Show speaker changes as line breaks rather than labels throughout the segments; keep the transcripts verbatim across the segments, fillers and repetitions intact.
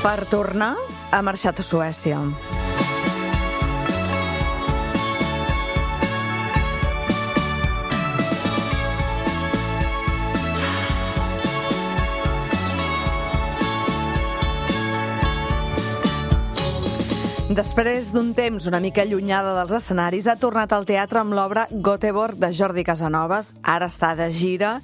Per tornar, ha marxat a Suècia. Després d'un temps una mica allunyada dels escenaris, ha tornat al teatre amb l'obra Göteborg de Jordi Casanovas. Ara està de gira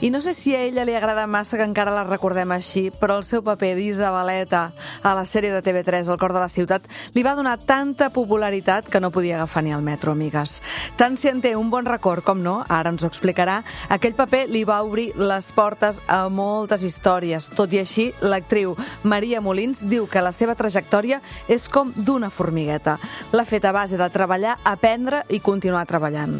i no sé si a ella li agrada massa que encara la recordem així, però el seu paper d'Isabeleta a la sèrie de T V tres El cor de la ciutat li va donar tanta popularitat que no podia agafar ni el metro, amigues. Tant si en té un bon record com no, ara ens ho explicarà, aquell paper li va obrir les portes a moltes històries. Tot i així, l'actriu Maria Molins diu que la seva trajectòria és com d'una formigueta. L'ha fet a base de treballar, aprendre i continuar treballant.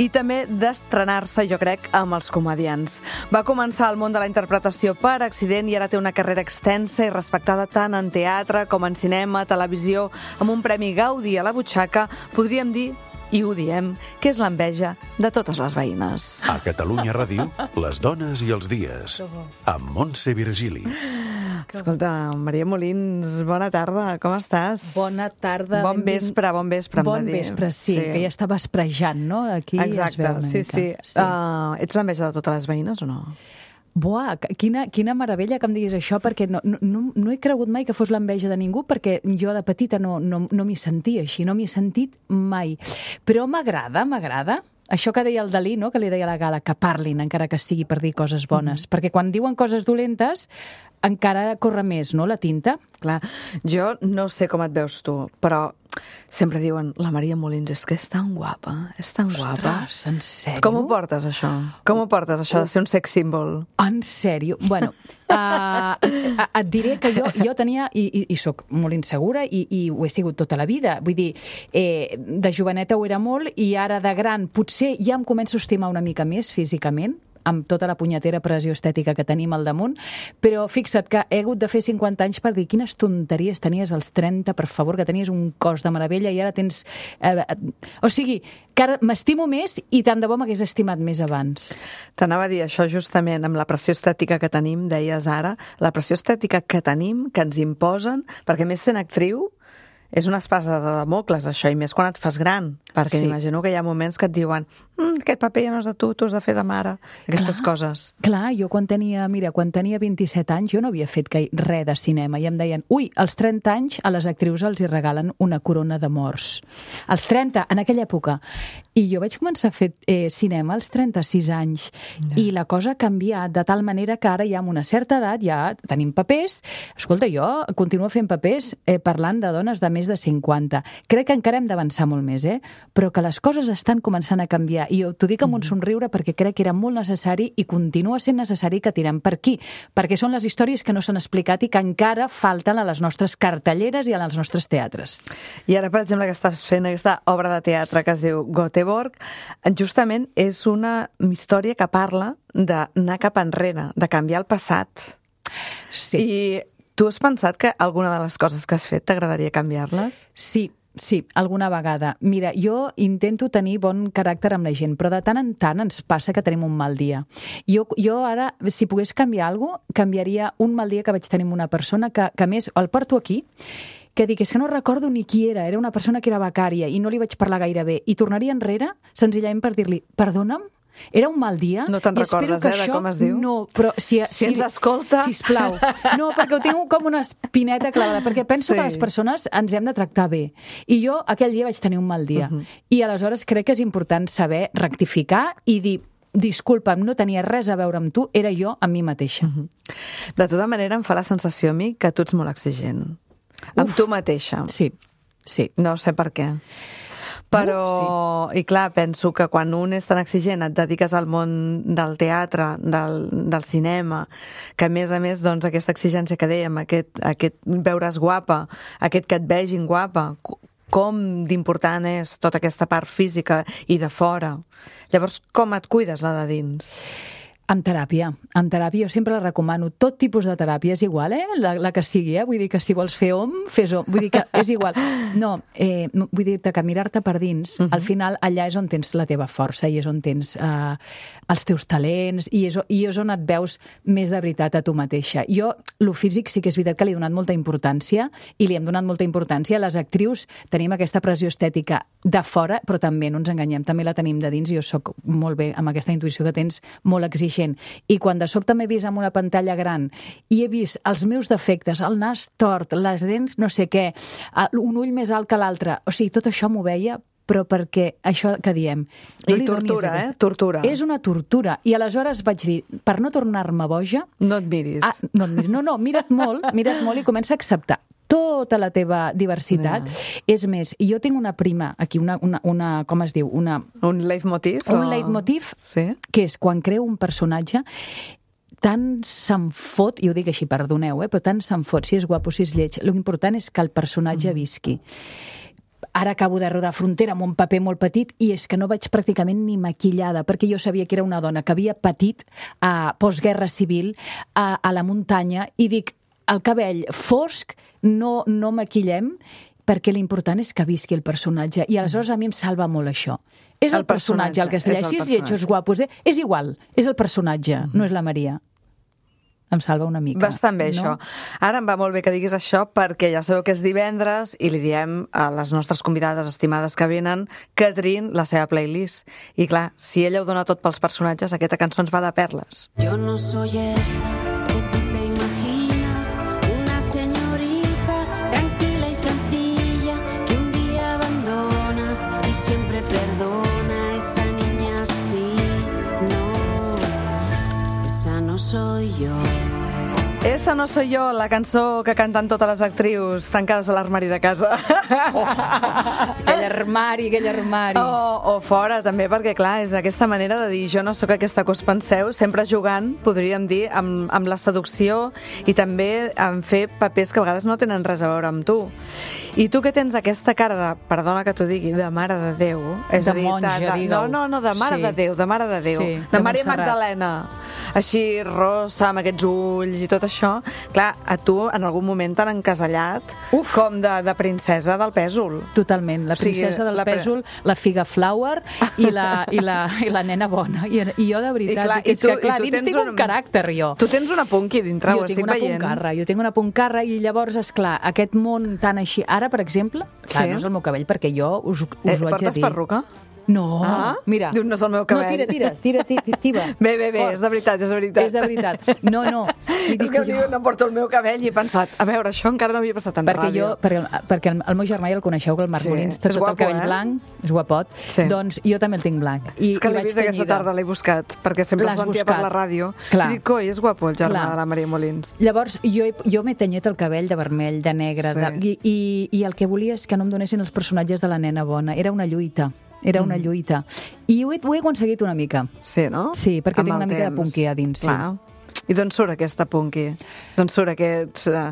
I també d'estrenar-se, jo crec, amb els comediants. Va començar al món de la interpretació per accident i ara té una carrera extensa i respectada tant en teatre com en cinema, televisió, amb un premi Gaudí a la butxaca, podríem dir, i ho diem, que és l'enveja de totes les veïnes.
A Catalunya Ràdio, les dones i els dies, amb Montse Virgili.
Escolta, Maria Molins, bona tarda, com estàs?
Bona tarda.
Bon vespre, bon vespre, hem
bon
de dir.
vespre, sí, sí, que ja està vesprejant, no? Aquí
exacte,
es veu una
sí,
mica.
sí, sí. Uh, ets l'enveja de totes les veïnes o no?
Buah, quina, quina meravella que em diguis això, perquè no, no, no he cregut mai que fos l'enveja de ningú, perquè jo de petita no, no, no m'hi sentia així, no m'hi he sentit mai. Però m'agrada, m'agrada. Això que deia el Dalí, no?, que li deia a la Gala, que parlin, encara que sigui per dir coses bones. Mm. Perquè quan diuen coses dolentes, encara corre més, no?, la tinta.
Clar, jo no sé com et veus tu, però sempre diuen, la Maria Molins és que és tan guapa, és tan
Ostres,
guapa.
en sèrio?
Com ho portes, això? Com ho portes, això de ser un sex symbol?
En sèrio? Bueno, uh, et diré que jo, jo tenia, i, i, i soc molt insegura, i, i ho he sigut tota la vida. Vull dir, eh, de joveneta ho era molt, i ara de gran potser ja em començo a estimar una mica més físicament, amb tota la punyetera pressió estètica que tenim al damunt, però fixa't que he hagut de fer cinquanta anys per dir quines tonteries tenies als trenta, per favor, que tenies un cos de meravella i ara tens... Eh, o sigui, que ara m'estimo més i tant de bo m'hagués estimat més abans.
T'anava a dir això justament, amb la pressió estètica que tenim, deies ara, la pressió estètica que tenim, que ens imposen, perquè més sent actriu, és una espasa de Damocles, això, i més quan et fas gran, perquè
Sí.
m'imagino que hi ha moments que et diuen mm, aquest paper ja no és de tu, tu has de fer de mare, aquestes
Clar,
coses.
Clar, jo quan tenia, mira, quan tenia vint-i-set anys, jo no havia fet gai- res de cinema, i em deien, ui, als trenta anys a les actrius els hi regalen una corona de morts. Als trenta, en aquella època. I jo vaig començar a fer eh, cinema als trenta-sis anys,
No.
i la cosa ha canviat de tal manera que ara ja amb una certa edat ja tenim papers. Escolta, jo continuo fent papers eh, parlant de dones de més de cinquanta. Crec que encara hem d'avançar molt més, eh? Però que les coses estan començant a canviar. I t'ho dic amb un somriure perquè crec que era molt necessari i continua sent necessari que tirem per aquí, perquè són les històries que no s'han explicat i que encara falten a les nostres cartelleres i als nostres teatres.
I ara, per exemple, que estàs fent aquesta obra de teatre que es diu Göteborg, justament és una història que parla d'anar cap enrere, de canviar el passat.
Sí.
I tu has pensat que alguna de les coses que has fet t'agradaria canviar-les?
Sí, sí, alguna vegada. Mira, jo intento tenir bon caràcter amb la gent, però de tant en tant ens passa que tenim un mal dia. Jo, jo ara, si pogués canviar alguna cosa, canviaria un mal dia que vaig tenir amb una persona que, que a més, el porto aquí, que dic, és que no recordo ni qui era, era una persona que era becària i no li vaig parlar gaire bé, i tornaria enrere senzillament per dir-li, perdona'm, era un mal dia.
No te'n
i espero
recordes,
que
eh, de
això,
com es diu?
No, però si,
Si ens escolta.
Sisplau. No, perquè ho tinc com una espineta clavada, perquè penso
Sí.
que les persones ens hem de tractar bé. I jo aquell dia vaig tenir un mal dia.
Uh-huh.
I aleshores crec que és important saber rectificar i dir, disculpa'm, no tenia res a veure amb tu, era jo amb mi mateixa.
Uh-huh. De tota manera, em fa la sensació a mi que tu ets molt exigent. Amb
Uf.
tu mateixa.
Sí, sí.
No sé per què. Però,
Uh,
i clar, penso que quan un és tan exigent, et dediques al món del teatre, del, del cinema, que a més a més, doncs, aquesta exigència que dèiem, aquest, aquest veure's guapa, aquest que et vegin guapa, com d'important és tota aquesta part física i de fora. Llavors, com et cuides la de dins?
Amb teràpia, amb teràpia. Jo sempre la recomano. Tot tipus de teràpia és igual, eh? La, la que sigui, eh? Vull dir que si vols fer om, fes om. Vull dir que és igual. No, eh, vull dir-te que mirar-te per dins, uh-huh. al final allà és on tens la teva força i és on tens eh, els teus talents i és, i és on et veus més de veritat a tu mateixa. Jo, lo físic sí que és veritat que li he donat molta importància i li hem donat molta importància. Les actrius tenim aquesta pressió estètica de fora, però també, no ens enganyem, també la tenim de dins. Jo sóc molt bé amb aquesta intuïció que tens, molt exigent. I quan de sobte m'he vist amb una pantalla gran i he vist els meus defectes, el nas tort, les dents no sé què, un ull més alt que l'altre, o sigui, tot això m'ho veia, però perquè això que diem... No
I tortura, eh? Tortura.
És una tortura. I aleshores vaig dir, per no tornar-me boja...
No et miris.
Ah, no et miris. No, no, mira't molt, mira't molt i comença a acceptar tota la teva diversitat. Yeah. És més, i jo tinc una prima, aquí, una, una, una com es diu? Una,
un leitmotiv?
Un
o...
leitmotiv,
sí?
Que és quan creo un personatge, tant se'n fot, i ho dic així, perdoneu, eh, però tant se'n fot, si és guapo, si és lleig. L'important és que el personatge mm. visqui. Ara acabo de rodar Frontera amb un paper molt petit i és que no vaig pràcticament ni maquillada, perquè jo sabia que era una dona que havia patit a postguerra civil, a, a la muntanya, i dic, el cabell fosc, no, no maquillem, perquè l'important és que visqui el personatge. I aleshores a mi em salva molt això. És el, el personatge, el castellà. Si és lleig o és guapo, és igual, és el personatge, mm-hmm. no és la Maria. Em salva una mica.
Bastant bé, no? Això. Ara em va molt bé que diguis això perquè ja sabeu que és divendres i li diem a les nostres convidades estimades que venen que triïn la seva playlist. I clar, si ella ho dona tot pels personatges, aquesta cançó ens va de perles.
Jo no soy esa que tú te imaginas, una señorita tranquila y sencilla que un día abandonas y siempre perdona. Esa niña así, no, esa no soy yo.
Esa no soy yo, la cançó que canten totes les actrius tancades a l'armari de casa.
Oh, aquell armari, aquell armari.
O, o fora, també, perquè, clar, és aquesta manera de dir jo no sóc aquesta que us penseu, sempre jugant, podríem dir, amb, amb la seducció i també en fer papers que a vegades no tenen res a veure amb tu. I tu que tens aquesta cara de, perdona que t'ho digui, de mare de Déu. És
de
a dir,
monja,
de, de,
digueu.
No, no, no, de mare
sí.
de Déu, de mare de Déu.
Sí,
de, de Maria Magdalena. Així, rossa, amb aquests ulls i tot això. Clar, a tu en algun moment t'han encasellat Uf. com de, de princesa del pèsol.
Totalment, la princesa o sigui, del la pèsol, la figa flower i la, i la, i la nena bona. I, i jo, de veritat, I clar, dic, és tu, que clar, dins tinc un, un caràcter, jo.
Tu tens una punky dintre,
jo
ho estic veient.
Jo tinc una puncarra, jo tinc una puncarra i llavors, esclar, aquest món tan així... Ara, per exemple, clar, sí. no és el meu cabell, perquè jo us, us
eh,
ho haig de dir.
Portes perruca?
No,
ah,
mira.
Diu, no és el meu cabell.
No, tira, tira, tira, tira, tira.
Bé, bé, bé, és de veritat, és de veritat.
És de veritat. No, no.
És que diu, no porto el meu cabell i he pensat, a veure, això encara no havia passat en
perquè
ràdio.
Jo, perquè, perquè el, el meu germà ja el coneixeu, que el Marc sí. Molins, té tot guapo, el cabell eh? blanc, és guapot, sí. doncs jo també el tinc blanc. I,
és que l'he vist
tenyida.
Aquesta tarda, l'he buscat, perquè sempre el sentia per la ràdio.
Clar.
I dic, coi, és guapo el germà
Clar.
de la Maria Molins.
Llavors, jo, jo m'he tenyit el cabell de vermell, de negre, sí. de, i, i, i el que volia és que no em donessin els personatges de la nena bona. Era una lluita. Era una lluita. I ho he, ho he aconseguit una mica.
Sí, no?
Sí, perquè
amb
tinc una
temps.
mica de punky a dins. Sí.
Clar. I d'on surt aquesta punky? D'on surt aquest, uh,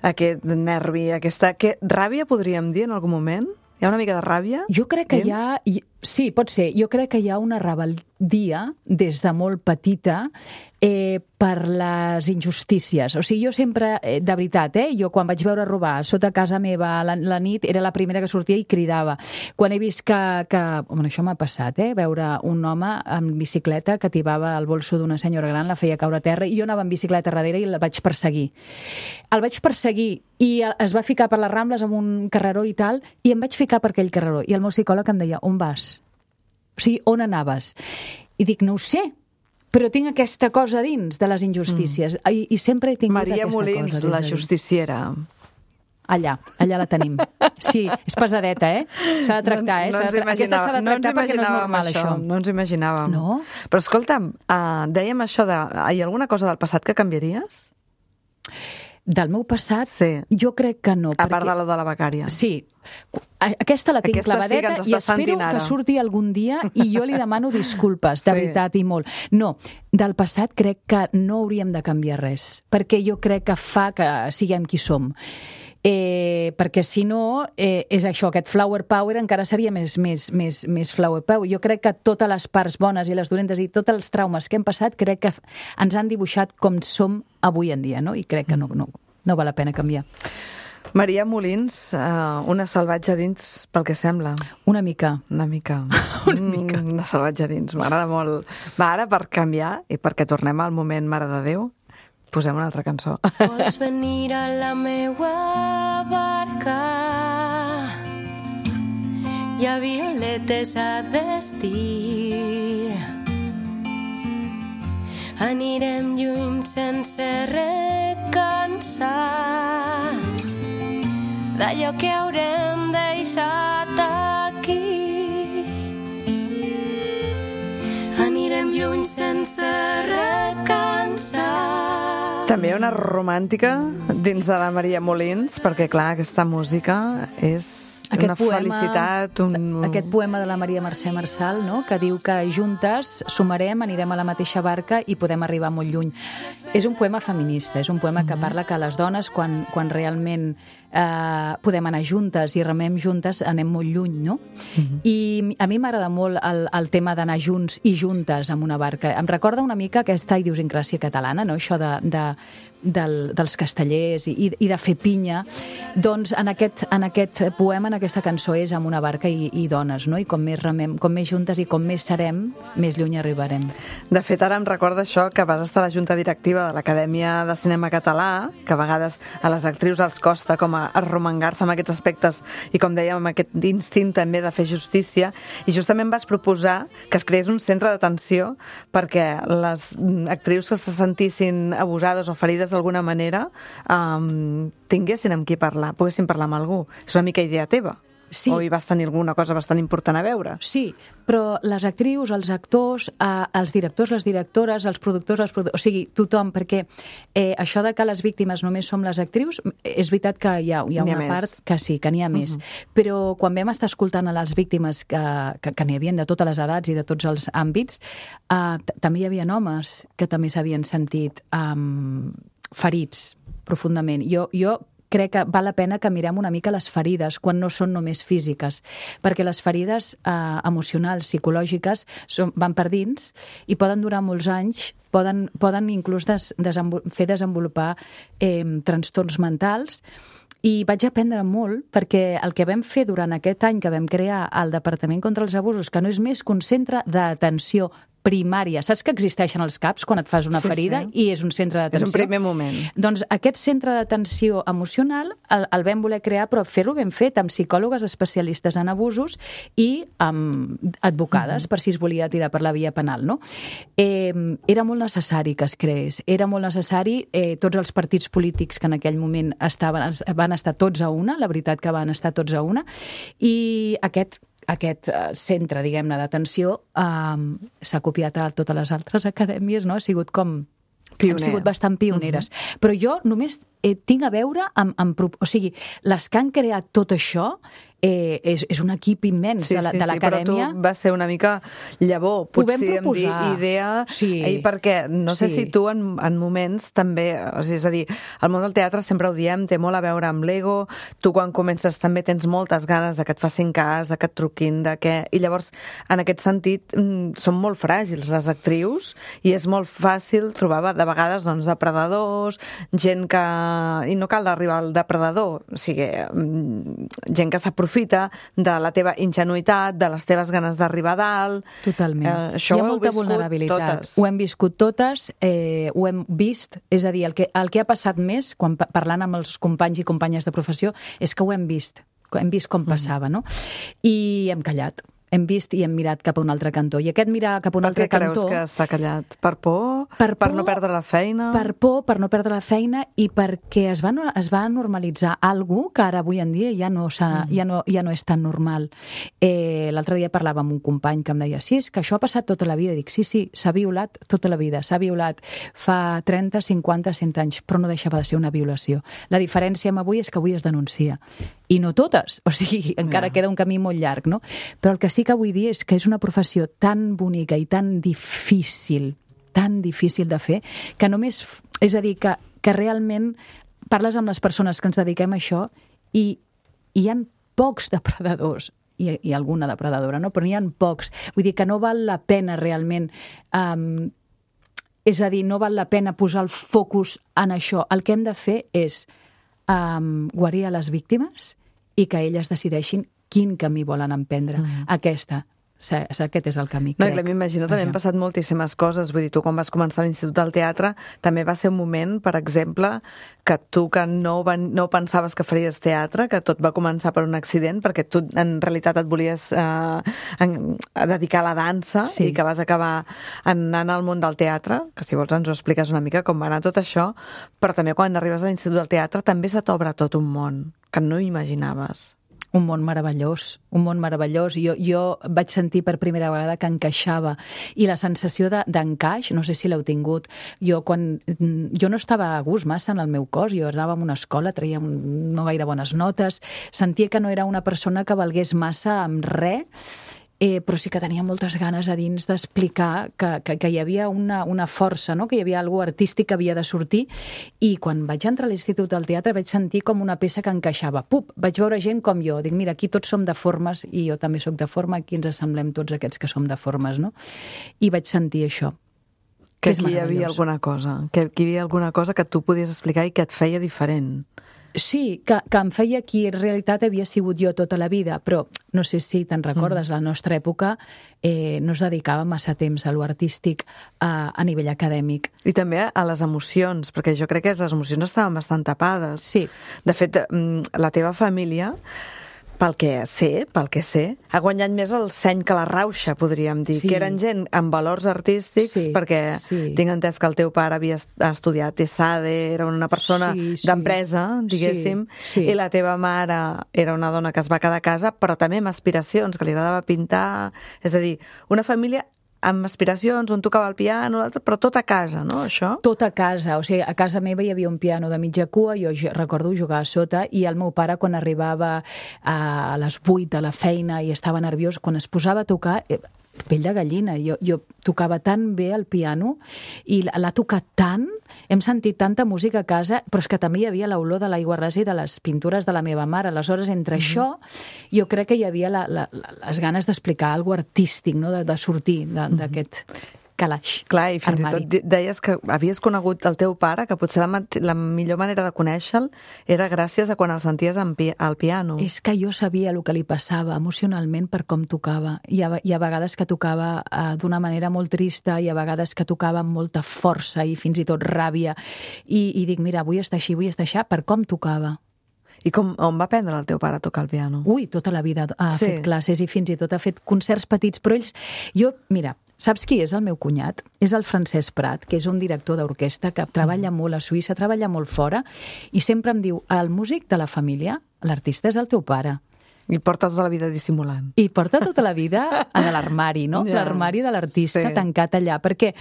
aquest nervi, aquesta... Que, ràbia podríem dir en algun moment? Hi ha una mica de ràbia?
Jo crec que
dins?
hi ha... Sí, pot ser. Jo crec que hi ha una rebel·dia des de molt petita eh, per les injustícies. O sigui, jo sempre, eh, de veritat, eh, jo quan vaig veure robar sota casa meva la, la nit, era la primera que sortia i cridava. Quan he vist que... que bueno, això m'ha passat, eh, veure un home en bicicleta que tibava el bolso d'una senyora gran, la feia caure a terra, i jo anava en bicicleta darrere i la vaig perseguir. El vaig perseguir i es va ficar per les Rambles amb un carreró i tal, i em vaig ficar per aquell carreró. I el meu psicòleg em deia, on vas? O sigui, on anaves? I dic, no ho sé, però tinc aquesta cosa dins de les injustícies. Mm. I, I sempre he tingut
Maria
aquesta
Molins,
cosa. Maria Molins,
la justiciera.
Allà, allà la tenim. Sí, és pesadeta, eh? S'ha de tractar, eh?
No, no
tra... Aquesta s'ha de tractar no perquè no és normal, això. això. No
ens imaginàvem.
No?
Però escolta'm, uh, dèiem això de... Hi ha alguna cosa del passat que canviaries?
Del meu passat,
sí.
Jo crec que no.
A
perquè...
part de la de la becària.
Sí. Aquesta la tinc
Aquesta
clavadeta
sí
i espero que surti algun dia i jo li demano disculpes, de sí. veritat, i molt. No, del passat crec que no hauríem de canviar res, perquè jo crec que fa que siguem qui som. eh, perquè si no, eh, és això, aquest flower power encara seria més, més, més, més flower power. Jo crec que totes les parts bones i les dolentes i tots els traumes que hem passat, crec que ens han dibuixat com som avui en dia, no? I crec que no, no, no val la pena canviar.
Maria Molins, uh, una salvatge dins, pel que sembla.
Una mica.
Una mica.
Una mica.
Mm, una salvatge dins, m'agrada molt. Va, ara per canviar i perquè tornem al moment Mare de Déu, posem una altra cançó.
Vols venir a la meua barca, hi ha violetes a vestir. Anirem lluny sense recansar d'allò que haurem deixat aquí. Anirem lluny sense recansar.
També hi ha una romàntica dins de la Maria Molins, perquè clar, aquesta música és
Aquest
una
poema,
felicitat. Un...
Aquest poema de la Maria Mercè Marçal, no?, que diu que juntes sumarem, anirem a la mateixa barca i podem arribar molt lluny. És un poema feminista, és un poema que parla que les dones, quan, quan realment eh, podem anar juntes i remem juntes, anem molt lluny, no? Uh-huh. I a mi m'agrada molt el, el tema d'anar junts i juntes amb una barca. Em recorda una mica aquesta idiosincràsia catalana, no?, això de... de Del, dels castellers i, i de fer pinya, doncs en aquest, en aquest poema, en aquesta cançó és amb una barca i, i dones, no? I com més remem, com més juntes i com més serem, més lluny arribarem.
De fet, ara em recorda això que vas estar a la junta directiva de l'Acadèmia de Cinema Català, que a vegades a les actrius els costa com a arromangar-se amb aquests aspectes i, com dèiem, amb aquest instint també de fer justícia, i justament vas proposar que es creés un centre d'atenció perquè les actrius que se sentissin abusades o ferides d'alguna manera um, tinguessin amb qui parlar, poguessin parlar amb algú. És una mica idea teva?
Sí.
O hi vas tenir alguna cosa bastant important a veure?
Sí, però les actrius, els actors, eh, els directors, les directores, els productors, els productors, o sigui, tothom, perquè eh, això de que les víctimes només som les actrius, és veritat que hi ha, hi ha
N'hi ha
una
més.
part que sí, que n'hi ha més.
Uh-huh.
Però quan vam estar escoltant a les víctimes que, que, que n'hi havia de totes les edats i de tots els àmbits, eh, també hi havia homes que també s'havien sentit um, ferits profundament. Jo, jo crec que val la pena que mirem una mica les ferides quan no són només físiques, perquè les ferides eh, emocionals, psicològiques, són, van per dins i poden durar molts anys, poden, poden inclús des, desenvol fer desenvolupar eh, trastorns mentals. I vaig aprendre molt, perquè el que vam fer durant aquest any que vam crear el Departament contra els Abusos, que no és més que un centre d'atenció primària. Saps que existeixen els CAPs quan et fas una
sí,
ferida
sí.
i és un centre d'atenció?
És un primer moment.
Doncs aquest centre d'atenció emocional el, el vam voler crear, però fer-lo ben fet amb psicòlogues especialistes en abusos i amb advocades, uh-huh. per si es volia tirar per la via penal, no? Eh, era molt necessari que es creés. Era molt necessari, eh, tots els partits polítics que en aquell moment estaven, van estar tots a una, la veritat que van estar tots a una, i aquest aquest centre, diguem-ne, d'atenció eh, s'ha copiat a totes les altres acadèmies, no? Ha sigut com... Pioner. Hem sigut bastant pioneres. Uh-huh. Però jo només eh, tinc a veure amb, amb... O sigui, les que han creat tot això eh, és, és un equip immens
sí,
de, la,
sí,
de l'acadèmia.
Sí, però tu vas ser una mica llavor, potser em dir idea,
sí.
i perquè no sé
sí.
si tu en, en moments també, o sigui, és a dir, el món del teatre sempre ho diem, té molt a veure amb l'ego, tu quan comences també tens moltes ganes de que et facin cas, de que et truquin, de que... I llavors, en aquest sentit, són molt fràgils les actrius i és molt fàcil trobar de vegades doncs, depredadors, gent que... I no cal arribar al depredador, o sigui, gent que s'aprofita de la teva ingenuïtat, de les teves ganes d'arribar a dalt.
Totalment.
Eh, això
Hi ha
ho
molta
heu viscut
vulnerabilitat.
totes.
Ho hem viscut totes, eh, ho hem vist, és a dir, el que, el que ha passat més, quan parlant amb els companys i companyes de professió, és que ho hem vist, hem vist com passava, no? I hem callat. Hem vist i hem mirat cap a un altre cantó. I aquest mirar cap a un
per
altre cantó...
Per què creus que s'ha callat? Per por?
Per,
per
por,
no perdre la feina?
Per por, per no perdre la feina i perquè es va, es va normalitzar algú que ara avui en dia ja no, mm. ja no, ja no és tan normal. Eh, L'altre dia parlava amb un company que em deia sí, és que això ha passat tota la vida. Dic, sí, sí, s'ha violat tota la vida. S'ha violat fa trenta, cinquanta, cent anys, però no deixava de ser una violació. La diferència amb avui és que avui es denuncia. I no totes. O sigui, encara yeah. queda un camí molt llarg, no? Però el que sí que vull dir és que és una professió tan bonica i tan difícil, tan difícil de fer, que només... És a dir, que, que realment parles amb les persones que ens dediquem a això i hi ha pocs depredadors, i, i alguna depredadora, no? Però n'hi ha pocs. Vull dir que no val la pena realment... Um, és a dir, no val la pena posar el focus en això. El que hem de fer és um, guarir a les víctimes i que elles decideixin quin camí volen emprendre. Mm. Aquesta, aquest és el camí,
no,
crec.
M'imagino, també han passat moltíssimes coses. Vull dir, tu quan vas començar a l'Institut del Teatre també va ser un moment, per exemple, que tu que no, van, no pensaves que faries teatre, que tot va començar per un accident, perquè tu en realitat et volies eh, en, a dedicar a la dansa, sí. I que vas acabar anant al món del teatre, que si vols ens ho expliques una mica com va anar tot això, però també quan arribes a l'Institut del Teatre també se t'obre tot un món que no imaginaves.
Un món meravellós, un món meravellós. Jo, jo vaig sentir per primera vegada que encaixava. I la sensació de, d'encaix, no sé si l'heu tingut, jo quan... Jo no estava a gust massa en el meu cos, jo anava a una escola, traia no gaire bones notes, sentia que no era una persona que valgués massa amb res, Eh, però sí que tenia moltes ganes a dins d'explicar que, que, que hi havia una, una força, no? Que hi havia alguna artístic que havia de sortir, i quan vaig entrar a l'Institut del Teatre vaig sentir com una peça que encaixava. Pup! Vaig veure gent com jo. Dic, mira, aquí tots som deformes, i jo també sóc deforme, aquí ens assemblem tots aquests que som deformes, no? I vaig sentir això.
Que, que aquí hi havia alguna cosa, que aquí hi havia alguna cosa que tu podies explicar i que et feia diferent.
Sí, que, que em feia qui en realitat havia sigut jo tota la vida, però no sé si te'n recordes, mm. la nostra època eh, no es dedicava massa temps a lo artístic a, a nivell acadèmic.
I també a les emocions, perquè jo crec que les emocions estaven bastant tapades.
Sí.
De fet, la teva família, pel que sé, pel que sé, ha guanyat més el seny que la rauxa, podríem dir, sí. Que eren gent amb valors artístics, sí, perquè sí. Tinc entès que el teu pare havia estudiat ESADE, era una persona sí, sí. d'empresa, diguéssim, sí, sí. I la teva mare era una dona que es va quedar a casa, però també amb aspiracions, que li agradava pintar, és a dir, una família amb aspiracions, un tocava el piano, l'altre, però tot a casa, no, això?
Tot a casa, o sigui, a casa meva hi havia un piano de mitja cua, jo recordo jugar a sota, i el meu pare, quan arribava a les vuit de la feina i estava nerviós, quan es posava a tocar, pell de gallina, jo, jo tocava tan bé el piano, i l'ha tocat tant, hem sentit tanta música a casa, però és que també hi havia l'olor de l'aigua rasa i de les pintures de la meva mare. Aleshores, entre mm-hmm. això, jo crec que hi havia la, la, les ganes d'explicar alguna cosa artístic, no? de, de sortir d'aquest... Mm-hmm. calaix,
clar, i fins
armari.
I tot deies que havies conegut el teu pare, que potser la, la millor manera de conèixer-lo era gràcies a quan el senties pi al piano.
És que jo sabia el que li passava emocionalment per com tocava. Hi ha, hi ha vegades que tocava uh, d'una manera molt trista, hi ha vegades que tocava amb molta força i fins i tot ràbia. I, i dic, mira, vull estar així, vull estar així, per com tocava.
I com, on va aprendre el teu pare a tocar el piano?
Ui, tota la vida ha sí. fet classes i fins i tot ha fet concerts petits, però ells... Jo, mira, saps qui és el meu cunyat? És el Francesc Prat, que és un director d'orquestra que treballa mm. molt a Suïssa, treballa molt fora, i sempre em diu, el músic de la família, l'artista és el teu pare.
I porta tota la vida dissimulant.
I porta tota la vida en l'armari, no? Yeah. L'armari de l'artista sí. tancat allà, perquè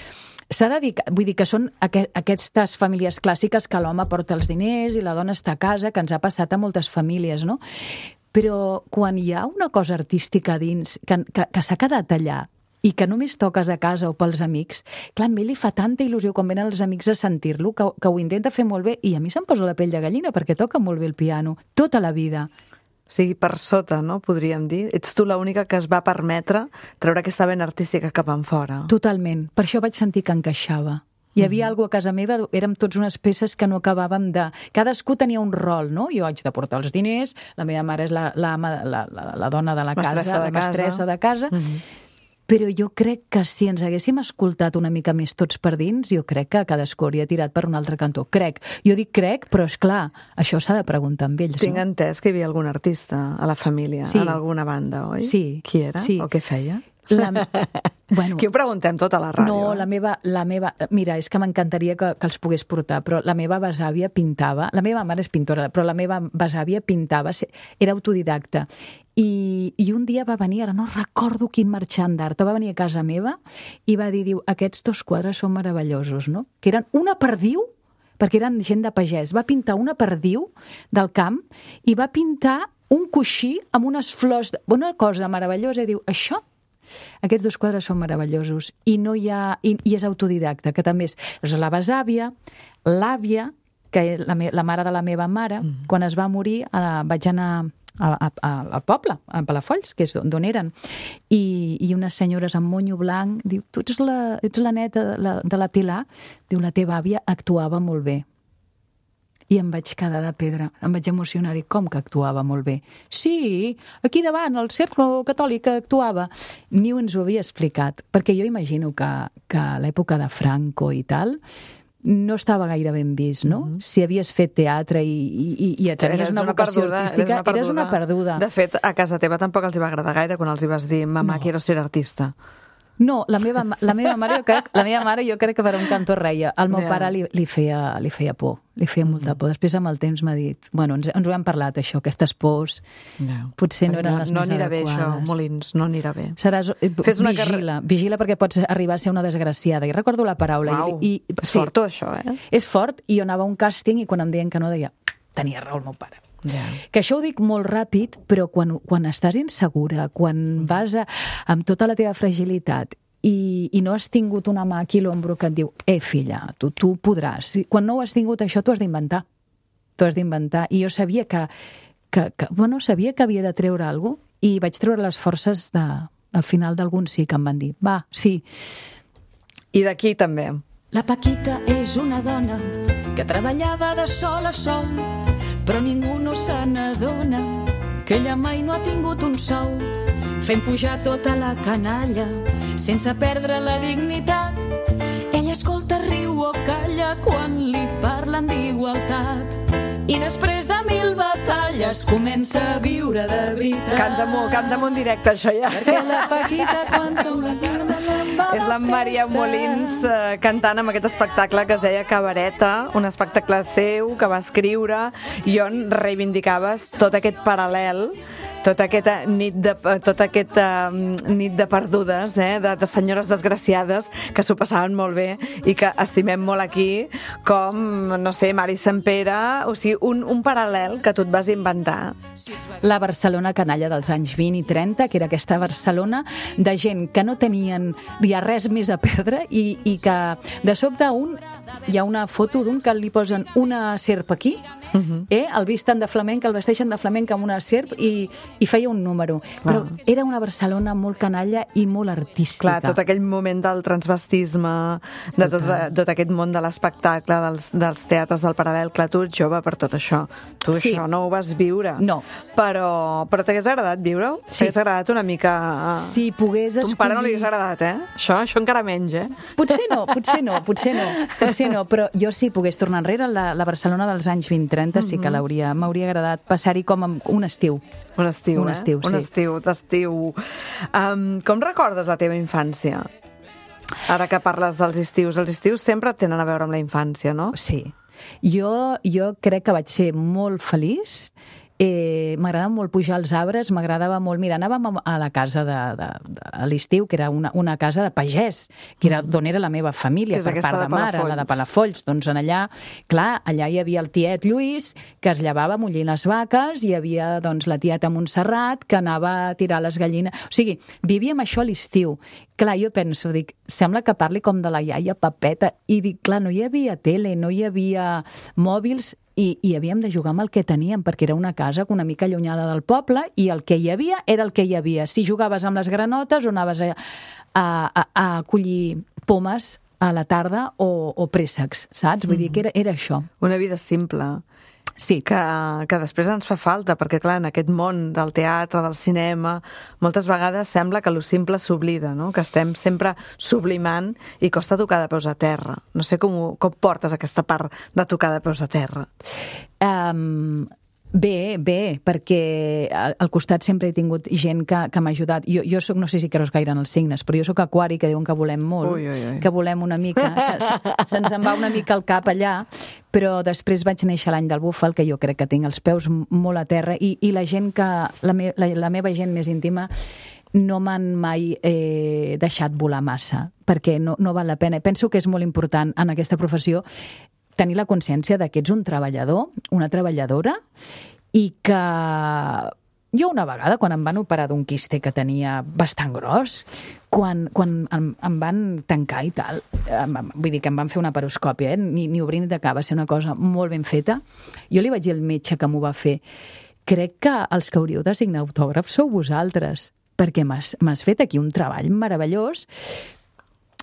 s'ha de dir, vull dir que són aqu aquestes famílies clàssiques que l'home porta els diners i la dona està a casa, que ens ha passat a moltes famílies, no? Però quan hi ha una cosa artística dins, que, que, que s'ha quedat allà, i que només toques a casa o pels amics, clar, a mi li fa tanta il·lusió quan venen els amics a sentir-lo, que, que ho intenta fer molt bé, i a mi se'm posa la pell de gallina perquè toca molt bé el piano, tota la vida.
O sigui, per sota, no?, podríem dir. Ets tu l'única que es va permetre treure aquesta vena artística cap enfora.
Totalment. Per això vaig sentir que encaixava. Hi havia mm-hmm. alguna cosa a casa meva, érem tots unes peces que no acabàvem de... Cadascú tenia un rol, no? Jo haig de portar els diners, la meva mare és la, la, la, la, la dona de la
mestressa
casa,
de
la mestressa
casa.
de casa, mm-hmm. Però jo crec que si ens haguéssim escoltat una mica més tots per dins, jo crec que cadascú hauria tirat per un altre cantó. Crec. Jo dic crec, però és clar, això s'ha de preguntar amb ells.
Tinc
no?
entès que hi havia algun artista a la família,
sí.
en alguna banda, oi?
Sí.
Qui era?
Sí.
O què feia?
La... Bueno,
Qui ho preguntem tot a la ràdio?
No,
eh?
la meva, la meva... Mira, és que m'encantaria que, que els pogués portar, però la meva besàvia pintava... La meva mare és pintora, però la meva besàvia pintava, era autodidacta. I, i un dia va venir, ara no recordo quin marxant d'art, va venir a casa meva i va dir, diu, aquests dos quadres són meravellosos, no? Que eren una perdiu, perquè eren gent de pagès. Va pintar una perdiu del camp i va pintar un coixí amb unes flors... De... Una cosa meravellosa, i diu, això... Aquests dos quadres són meravellosos i no hi ha... I, i és autodidacta, que també és... Doncs la besàvia, l'àvia que és la, me la mare de la meva mare, mm. quan es va morir uh, vaig anar a, a, a, al poble, a Palafolls, que és d'on eren, I, i unes senyores amb monyo blanc, diu, tu ets la, ets la neta de la, de la Pilar? Diu, la teva àvia actuava molt bé. I em vaig quedar de pedra, em vaig emocionar, dic, com que actuava molt bé? Sí, aquí davant, el cercle catòlic actuava. Ni ens ho havia explicat, perquè jo imagino que, que a l'època de Franco i tal, no estava gaire ben vist, no? Mm -hmm. Si havies fet teatre i, i, i tenies una vocació perduda, artística, eres una, eres una perduda.
De fet, a casa teva tampoc els hi va agradar gaire quan els hi vas dir, mamà, no. quiero ser artista.
No, la meva, la meva mare jo crec, la meva mare jo crec que per un cantó reia. El meu yeah. pare li, li, feia, li feia por, li feia molta por. Després amb el temps m'ha dit, bueno, ens, ens ho hem parlat això, aquestes pors, yeah. potser no eren no, les
no
més adequades.
No anirà bé això, Molins, no anirà bé.
Seràs, Fes una vigila, car... vigila perquè pots arribar a ser una desgraciada. I recordo la paraula.
Uau,
i, i,
és
sí,
fort això, eh?
És fort, i jo anava a un càsting i quan em deien que no deia, tenia raó el meu pare. Yeah. Que això ho dic molt ràpid, però quan, quan estàs insegura, quan vas a, amb tota la teva fragilitat I, i no has tingut una mà aquí a l'ombro que et diu, eh, filla, tu, tu podràs. Quan no ho has tingut això, tu has d'inventar. Tu has d'inventar. I jo sabia que, que, que, bueno, sabia que havia de treure alguna cosa i vaig treure les forces de, al final d'algun sí que em van dir, va, sí.
I d'aquí també.
La Paquita és una dona que treballava de sol a sol, però ningú no se n'adona que ella mai no ha tingut un sou, fent pujar tota la canalla sense perdre la dignitat. Ella escolta, riu o calla quan li parlen d'igualtat i després de mil batalles comença a viure de veritat.
Canta-m'ho, canta-m'ho en directe, això ja.
Perquè la Paquita canta una tarda se'n va a
És la Maria Molins eh, cantant amb aquest espectacle que es deia Cabareta, un espectacle seu que va escriure i on reivindicaves tot aquest paral·lel, tota aquesta nit de, tota aquesta nit de perdudes, eh, de, de senyores desgraciades que s'ho passaven molt bé i que estimem molt aquí, com, no sé, Mari Sempere, o sigui, un, un paral·lel que tu et vas inventar.
La Barcelona canalla dels anys vint i trenta, que era aquesta Barcelona de gent que no tenien ja res més a perdre i, i que de sobte un, hi ha una foto d'un que li posen una serp aquí, uh-huh. eh, el visten de flamenc, el vesteixen de flamenc amb una serp i, i feia un número. Clar. Però era una Barcelona molt canalla i molt artística.
Clar, tot aquell moment del transvestisme, de tot, tot aquest món de l'espectacle, dels, dels teatres del paral·lel, clar, tu ets jove per tot això. Tu sí. això no ho vas viure.
No.
Però, però t'hagués agradat viure-ho?
Sí.
T'hagués agradat una mica...
Si pogués escollir...
Tu pare no li hagués agradat, eh? Això, això encara menys, eh?
Potser no, potser no, potser no, potser no, però jo si pogués tornar enrere, la, la Barcelona dels anys vint trenta mm -hmm. sí que l'hauria, m'hauria agradat passar-hi com un estiu.
Un estiu,
un
eh?
estiu,
un
sí.
estiu, d'estiu. Um, com recordes la teva infància? Ara que parles dels estius, els estius sempre tenen a veure amb la infància, no?
Sí. Jo, jo crec que vaig ser molt feliç. Eh, m'agradava molt pujar als arbres, m'agradava molt... Mira, anàvem a la casa de, de, de, a l'estiu, que era una, una casa de pagès, que era d'on era la meva família, per part de, de mare, la de Palafolls. Doncs en allà, clar, allà hi havia el tiet Lluís, que es llevava mullint les vaques, hi havia doncs, la tieta Montserrat, que anava a tirar les gallines... O sigui, vivíem això a l'estiu. Clar, jo penso, dic, sembla que parli com de la iaia Pepeta, i dic, clar, no hi havia tele, no hi havia mòbils, I, i havíem de jugar amb el que teníem, perquè era una casa una mica allunyada del poble i el que hi havia era el que hi havia. Si jugaves amb les granotes o anaves a, a, a collir pomes a la tarda o, o préssecs, saps? Vull mm. dir que era, era això.
Una vida simple.
Sí.
Que, que després ens fa falta, perquè clar, en aquest món del teatre, del cinema, moltes vegades sembla que lo simple s'oblida, no? Que estem sempre sublimant i costa tocar de peus a terra. No sé com, com portes aquesta part de tocar de peus a terra.
Um, bé, bé, perquè al costat sempre he tingut gent que, que m'ha ajudat. Jo, jo soc, no sé si creus gaire en els signes, però jo soc aquari, que diuen que volem molt,
ui, ui, ui.
que volem una mica, que se'ns en va una mica el cap allà, però després vaig néixer l'any del búfal, que jo crec que tinc els peus molt a terra, i, i la gent que, la, me, la, la meva gent més íntima no m'han mai eh, deixat volar massa, perquè no, no val la pena. Penso que és molt important en aquesta professió tenir la consciència de que ets un treballador, una treballadora, i que jo una vegada, quan em van operar d'un quiste que tenia bastant gros, quan, quan em, em van tancar i tal, em, vull dir que em van fer una paroscòpia, eh? ni, ni obrir ni tacar, va ser una cosa molt ben feta, jo li vaig dir al metge que m'ho va fer, crec que els que hauríeu de signar autògrafs sou vosaltres, perquè m'has, m'has fet aquí un treball meravellós.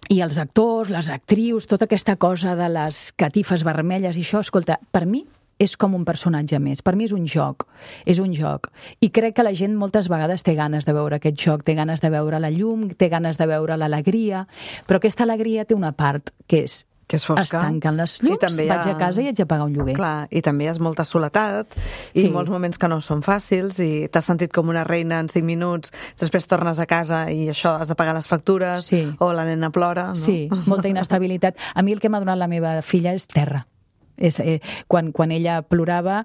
I els actors, les actrius, tota aquesta cosa de les catifes vermelles i això, escolta, per mi és com un personatge més. Per mi és un joc, és un joc. I crec que la gent moltes vegades té ganes de veure aquest joc, té ganes de veure la llum, té ganes de veure l'alegria, però aquesta alegria té una part que és
que és fosca.
Es tanquen les llums, ha... vaig a casa i haig de pagar un lloguer.
Clar, i també hi ha molta soledat i sí. molts moments que no són fàcils i t'has sentit com una reina en cinc minuts, després tornes a casa i això, has de pagar les factures
sí.
o la nena plora. No?
Sí, molta inestabilitat. A mi el que m'ha donat la meva filla és terra. És, eh, quan, quan ella plorava,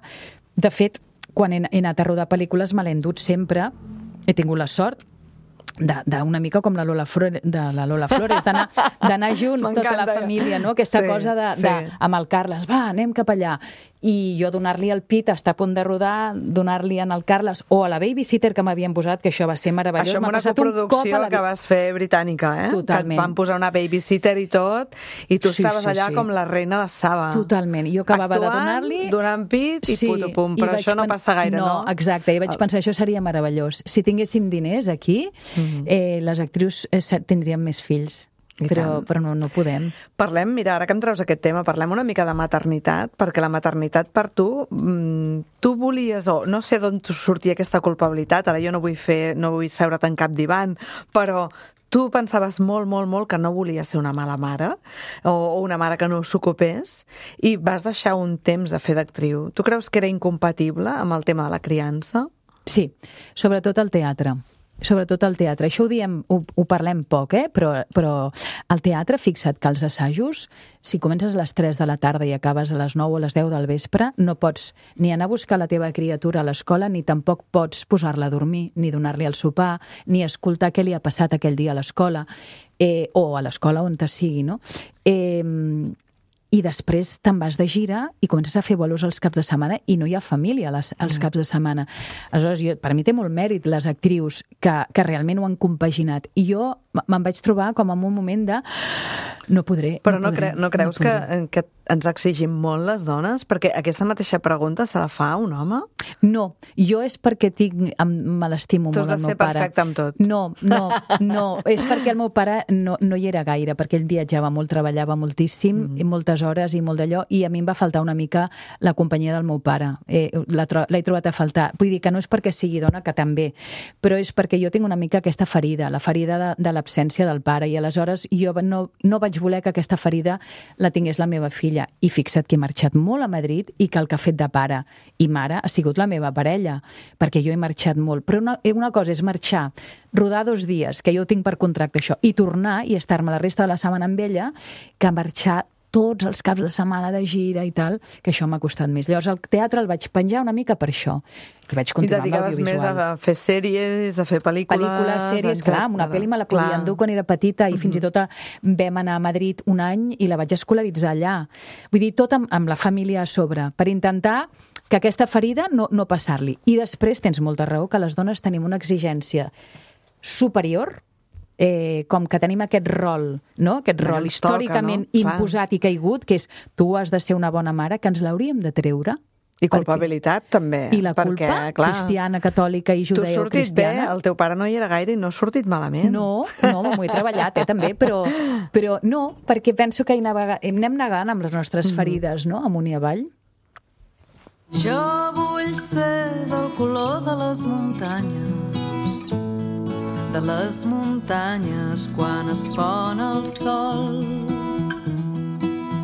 de fet, quan he, he anat a rodar pel·lícules me l'he endut sempre, he tingut la sort d'una mica com la Lola, Flores, de la Lola Flores, d'anar junts, tota la família, no? Aquesta sí, cosa de, sí. de, amb el Carles, va, anem cap allà. I jo donar-li el pit, estar a punt de rodar, donar-li en el Carles, o a la babysitter que m'havien posat, que això va ser meravellós.
Això amb una coproducció la... que vas fer britànica, eh?
Totalment.
Que et van posar una babysitter i tot, i tu
sí,
estaves
sí,
allà
sí.
com la reina de Saba.
Totalment. Jo acabava
Actuant,
de donar-li...
donant pit i
sí,
puto pum. Però això no passa gaire, no?
No, exacte. I vaig pensar, això seria meravellós. Si tinguéssim diners aquí, mm-hmm. eh, les actrius eh, tindrien més fills. Però, però no, no podem.
Parlem, mira, ara que em treus aquest tema, parlem una mica de maternitat, perquè la maternitat per tu, mmm, tu volies, o no sé d'on sortia aquesta culpabilitat, ara jo no vull fer, no vull seure't en cap divan, però tu pensaves molt, molt, molt que no volies ser una mala mare, o, o una mare que no s'ocupés, i vas deixar un temps de fer d'actriu. Tu creus que era incompatible amb el tema de la criança?
Sí, sobretot el teatre. Sobretot al teatre. Això ho diem, ho, ho parlem poc, eh? però, però al teatre, fixa't que als assajos, si comences a les tres de la tarda i acabes a les nou o a les deu del vespre, no pots ni anar a buscar la teva criatura a l'escola, ni tampoc pots posar-la a dormir, ni donar-li el sopar, ni escoltar què li ha passat aquell dia a l'escola, eh, o a l'escola on te sigui, no? Eh, I després te'n vas de gira i comences a fer bolos els caps de setmana i no hi ha família als, als caps de setmana. Aleshores, jo, per mi té molt mèrit les actrius que, que realment ho han compaginat. I jo me'n vaig trobar com en un moment de... No podré.
Però
no,
no,
podré,
cre no creus
no
que, que ens exigim molt les dones? Perquè aquesta mateixa pregunta se la fa un home?
No, jo és perquè tinc, me l'estimo molt el meu pare.
Tu has de ser perfecte amb tot.
No, no, no. És perquè el meu pare no, no hi era gaire, perquè ell viatjava molt, treballava moltíssim, mm. i moltes hores i molt d'allò, i a mi em va faltar una mica la companyia del meu pare. Eh, l'he trobat a faltar. Vull dir que no és perquè sigui dona, que també, però és perquè jo tinc una mica aquesta ferida, la ferida de, de l'absència del pare, i aleshores jo no, no vaig voler que aquesta ferida la tingués la meva filla. I fixa't que he marxat molt a Madrid i que el que ha fet de pare i mare ha sigut la meva parella, perquè jo he marxat molt. Però una, una cosa és marxar, rodar dos dies, que jo tinc per contracte això, i tornar i estar-me la resta de la setmana amb ella, que marxar tots els caps de setmana de gira i tal, que això m'ha costat més. Llavors el teatre el vaig penjar una mica per això. I vaig continuar amb l'audiovisual.
I dedicaves més a fer sèries, a fer pel·lícules...
Pel·lícules, sèries, clar, una pel·li me la podia endur quan era petita i fins i tot vam anar a Madrid un any i la vaig escolaritzar allà. Vull dir, tot amb, amb la família a sobre, per intentar que aquesta ferida no, no passar-li. I després tens molta raó que les dones tenim una exigència superior, Eh, com que tenim aquest rol, no? aquest
que
rol històricament
toca, no?
imposat i caigut, que és tu has de ser una bona mare, que ens l'hauríem de treure.
I culpabilitat, perquè... també.
I la culpa,
perquè, clar,
cristiana, catòlica i judeo-cristiana.
Tu sortit bé, el teu pare no hi era gaire i no ha sortit malament.
No, no, m'ho he treballat, eh, també, però, però no, perquè penso que hi navega... anem negant amb les nostres ferides, no?, amunt i avall.
Jo vull ser del color de les muntanyes, de les muntanyes quan es pon el sol.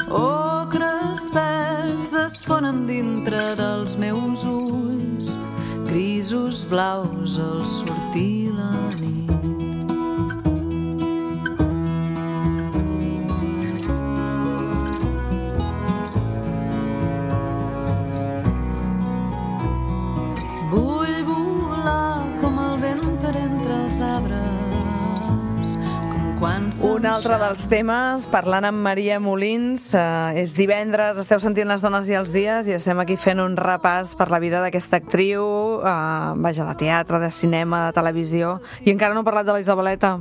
Ocres verds es fonen dintre dels meus ulls, grisos blaus al sortir la nit. Vull volar com el vent per entre els arbres, com quan
Un altre dels temes, parlant amb Maria Molins, eh, és divendres, esteu sentint Les dones i els dies i estem aquí fent un repàs per la vida d'aquesta actriu, eh, vaja, de teatre, de cinema, de televisió, i encara no he parlat de la Isabeleta.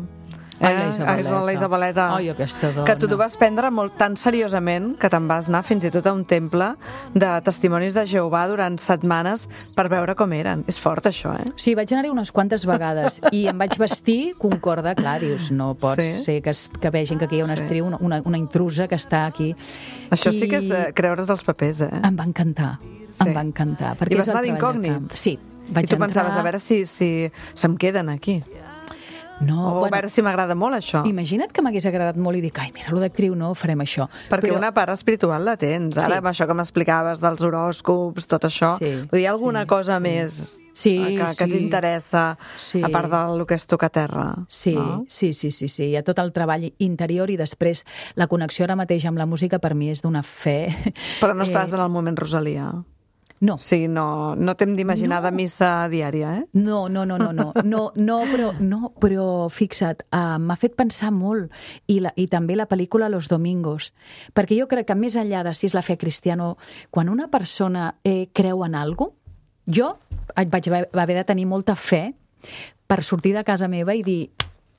Ai, la Isabeleta.
Eh? La Isabeleta.
Ai, aquesta dona.
Que tu t'ho vas prendre molt tan seriosament que te'n vas anar fins i tot a un temple de testimonis de Jehovà durant setmanes per veure com eren. És fort, això, eh?
Sí, vaig anar-hi unes quantes vegades i em vaig vestir concorda, clar, dius, no pot
Sí.
ser que, es, que vegin que aquí hi ha una
Sí.
actriu, una, una, una intrusa que està aquí.
Això
I
sí que és eh, creure's els papers, eh?
Em va encantar,
Sí.
em va encantar. Perquè
I vas
és el
anar
treball de
d'incògnit?
camp. Sí, vaig
I tu
entrar...
pensaves, a veure si, si se'm queden aquí.
No,
O a veure si m'agrada molt, això.
Imagina't que m'hagués agradat molt i dic, ai, mira, lo d'actriu no, farem això.
Perquè
Però...
una part espiritual la tens. Ara,
Sí.
amb això que m'explicaves dels horòscops, tot això,
Sí,
vull dir, alguna
sí,
cosa
sí.
més
Sí,
eh, que, que
sí.
t'interessa,
Sí.
a part del que és tocar terra.
Sí,
no?
sí, sí, sí, sí. Hi ha tot el treball interior i després la connexió ara mateix amb la música per mi és d'una fe.
Però no estàs en el moment Rosalia.
No,
O sigui, no, no t'hem d'imaginar
No.
de missa diària, eh?
no, no, no, no, no, no, no, però, no, però fixa't, uh, m'ha fet pensar molt i, la, i també la pel·lícula Los Domingos, perquè jo crec que més enllà de si és la fe cristiana, quan una persona eh, creu en alguna cosa, jo vaig haver, haver de tenir molta fe per sortir de casa meva i dir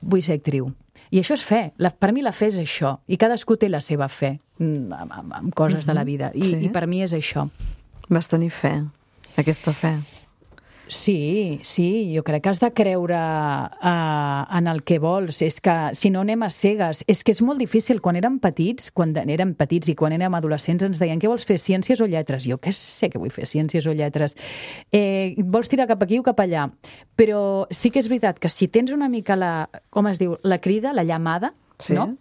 vull ser actriu. I això és fe. La, per mi la fe és això. I cadascú té la seva fe mm, amb, amb, amb coses de la vida. I,
Sí.
I per mi és això.
Vas tenir fe, aquesta fe.
Sí, sí, jo crec que has de creure uh, en el que vols. És que, si no, anem a cegues. És que és molt difícil. Quan érem petits, quan érem petits i quan érem adolescents, ens deien què vols fer, ciències o lletres? Jo què sé que vull fer, ciències o lletres. Eh, vols tirar cap aquí o cap allà? Però sí que és veritat que si tens una mica la, com es diu, la crida, la llamada,
Sí.
no?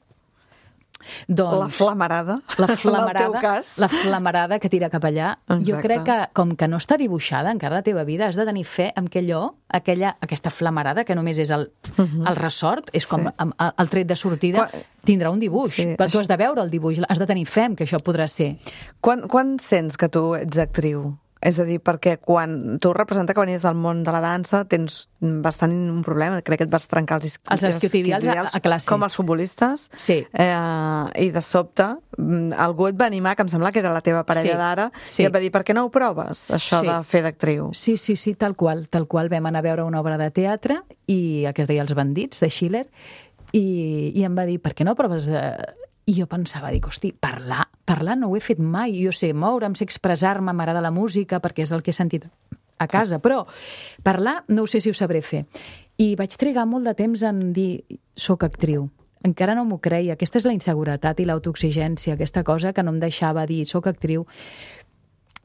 Doncs,
La flamarada,
la
en el
flamarada,
teu cas.
la flamarada que tira cap allà.
Exacte.
Jo crec que, com que no està dibuixada encara la teva vida, has de tenir fe en que allò, aquella, aquesta flamarada, que només és el, el ressort, és com
Sí.
el, el tret de sortida,
Quan-
tindrà un dibuix.
Sí,
Però tu
això-
has de veure el dibuix, has de tenir fe en que això podrà ser.
Quan, quan sents que tu ets actriu? És a dir, perquè quan tu representa que venies del món de la dansa, tens bastant un problema. Crec que et vas trencar els, isqui-
Els isquiotibials a- a classe.
Com els futbolistes.
Sí.
Eh, I de sobte, mm, algú et va animar, que em sembla que era la teva parella
Sí,
d'ara,
sí.
i et va dir, per què no ho proves, això
Sí.
de fer d'actriu?
Sí, sí, sí, tal qual. Tal qual vam anar a veure una obra de teatre, i que es deia Els bandits, de Schiller, i, i em va dir, per què no proves de... I jo pensava, dic, hosti, parlar, parlar no ho he fet mai. Jo sé moure'm, sé expressar-me, m'agrada la música, perquè és el que he sentit a casa, però parlar no ho sé si ho sabré fer. I vaig trigar molt de temps en dir, soc actriu. Encara no m'ho creia. Aquesta és la inseguretat i l'autoexigència, aquesta cosa que no em deixava dir, soc actriu.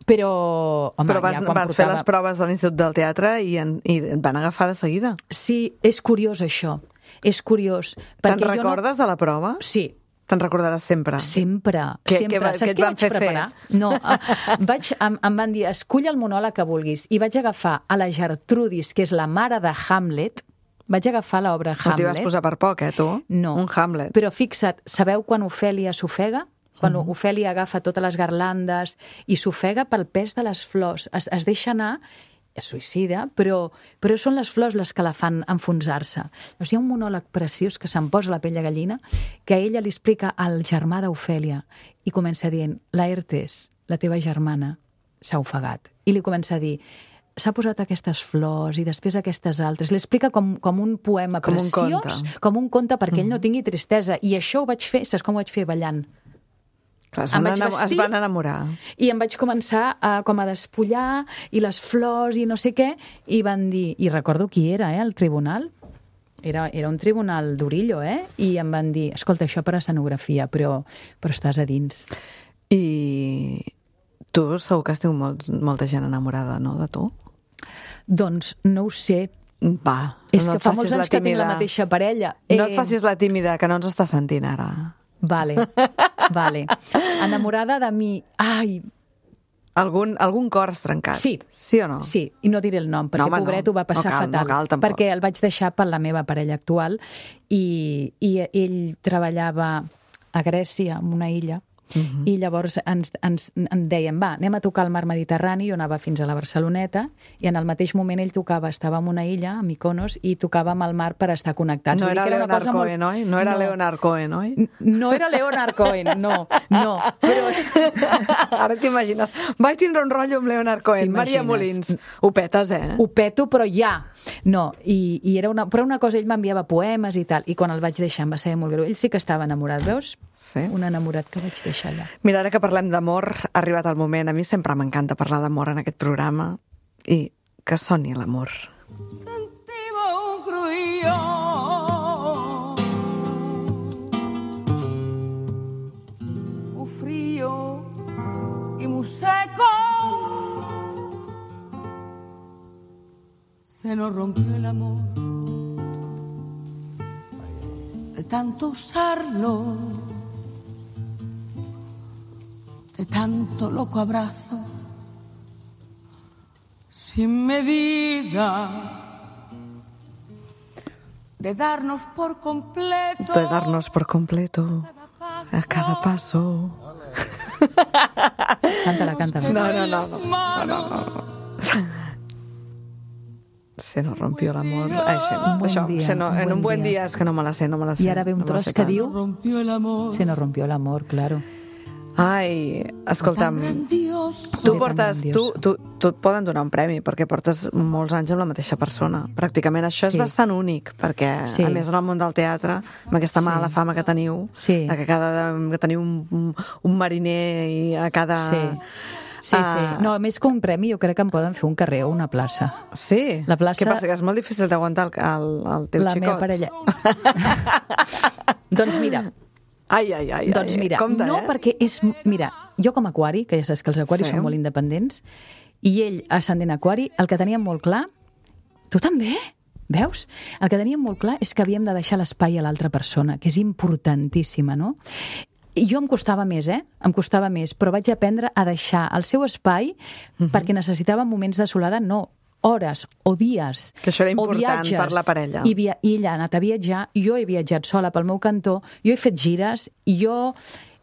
Però, home,
Però vas,
ja quan
vas fer
portava...
les proves de l'Institut del Teatre i, en, i et van agafar de seguida.
Sí, és curiós això. És curiós.
Te'n
perquè jo
recordes de la prova?
No... Sí,
Te'n recordaràs sempre?
sempre.
Què-
sempre.
què va-
Saps
què et
què
van
vaig
fer fer?
preparar? No, eh, vaig, em, em van dir, escull el monòleg que vulguis. I vaig agafar a la Gertrudis, que és la mare de Hamlet, vaig agafar l'obra
No t'hi
Hamlet.
vas posar per poc, eh, tu?
No.
Un Hamlet.
Però fixa't, sabeu quan Ofèlia s'ofega? Quan uh-huh. Ofèlia agafa totes les garlandes i s'ofega pel pes de les flors. Es, es deixa anar, es suïcida, però, però són les flors les que la fan enfonsar-se. Doncs hi ha un monòleg preciós que se'm posa la pell de gallina, que ella li explica al germà d'Ofèlia i comença dient, Laertes, la teva germana, s'ha ofegat. I li comença a dir, s'ha posat aquestes flors i després aquestes altres. Li explica com, com un poema
Com un
preciós,
conte.
com un conte perquè ell no tingui tristesa. I això ho vaig fer, saps com ho vaig fer? Ballant.
Clar, es,
Em
van
vaig
enam-
vestir-
es van enamorar.
I em vaig començar a, com a despullar i les flors i no sé què, i van dir, i recordo qui era, eh, el tribunal, era, era un tribunal d'Orillo, eh? I em van dir, escolta, això per escenografia, però, però estàs a dins.
I tu segur que has tingut molt, molta gent enamorada, no, de tu?
Doncs no ho sé,
Va,
és
no
que
et
fa
facis
molts
la
anys que tinc la
tímida.
mateixa parella.
No et facis la tímida, que no ens està sentint ara.
Vale, vale. Enamorada de mi, ai,
Algun, algun cor has trencat?
Sí.
Sí o no?
sí, i no diré el nom, perquè
No, home, no.
pobret ho va passar
No cal, no
fatal,
cal, tampoc.
perquè el vaig deixar per la meva parella actual i, i ell treballava a Grècia, en una illa, Uh-huh. I llavors ens, ens, ens deien, va, anem a tocar al mar Mediterrani, jo anava fins a la Barceloneta, i en el mateix moment ell tocava, estava en una illa, a Mykonos, i tocàvem al mar per estar connectats.
No
Vull
era
dir que
Leonard
era
Cohen,
molt...
oi? No era
no.
Leonard Cohen, oi?
No era Leonard Cohen, no, no. Però...
Ara t'imagines. Vaig tindre un rotllo amb Leonard Cohen. Maria Molins. Ho petes, eh?
Ho peto, però ja. No, i, i era una, però una cosa, ell m'enviava poemes i tal, i quan el vaig deixar em va ser molt greu. Ell sí que estava enamorat, veus?
Sí.
Un enamorat que vaig deixar allà.
Mira, ara que parlem d'amor, ha arribat el moment. A mi sempre m'encanta parlar d'amor en aquest programa i que soni l'amor.
Sentiva un cruïlló, un frío y muy seco. Se nos rompió el amor de tanto usarlo, de tanto loco abrazo, sin medida, de darnos por completo,
de darnos por completo a cada paso.
Cántala, cántala.
No, no, no, no, no, no, no. Se nos rompió l'amor. Això,
Un buen
això,
dia,
se no,
un
en un
buen
buen
dia.
dia, és que no me la sé, no me la sé.
I ara ve un
no me la
tros
sé
que
cantar.
diu
rompió el amor.
se nos rompió el amor, claro.
Ai, escolta'm,
Grandioso.
tu
De tan
portes, tu,
grandioso.
tu, tu et poden donar un premi perquè portes molts anys amb la mateixa persona. Pràcticament això
Sí.
és bastant únic, perquè
Sí.
a més en el món del teatre, amb aquesta
Sí.
mala fama que teniu,
Sí.
de que, cada, que teniu un, un, un mariner i a cada...
Sí. Sí, sí. No, més que un premi, jo crec que em poden fer un carrer o una plaça.
Sí?
La plaça-
Què passa, que és molt difícil d'aguantar el, el, el teu
La
xicot?
meva parella. Doncs mira,
Ai, ai, ai.
doncs
ai.
mira,
Compte,
no
eh?
perquè és... Mira, jo com a aquari, que ja saps que els aquaris
Sí.
són molt independents, i ell, ascendent aquari, el que teníem molt clar... Tu també? Veus? El que teníem molt clar és que havíem de deixar l'espai a l'altra persona, que és importantíssima, no? I jo em costava més, eh? Em costava més, però vaig aprendre a deixar el seu espai
Mhm.
perquè necessitava moments de solada, no, hores o dies.
Que això era
o
important
viatges.
per la parella.
I, via I ella ha anat a viatjar, jo he viatjat sola pel meu cantó, jo he fet gires, i jo...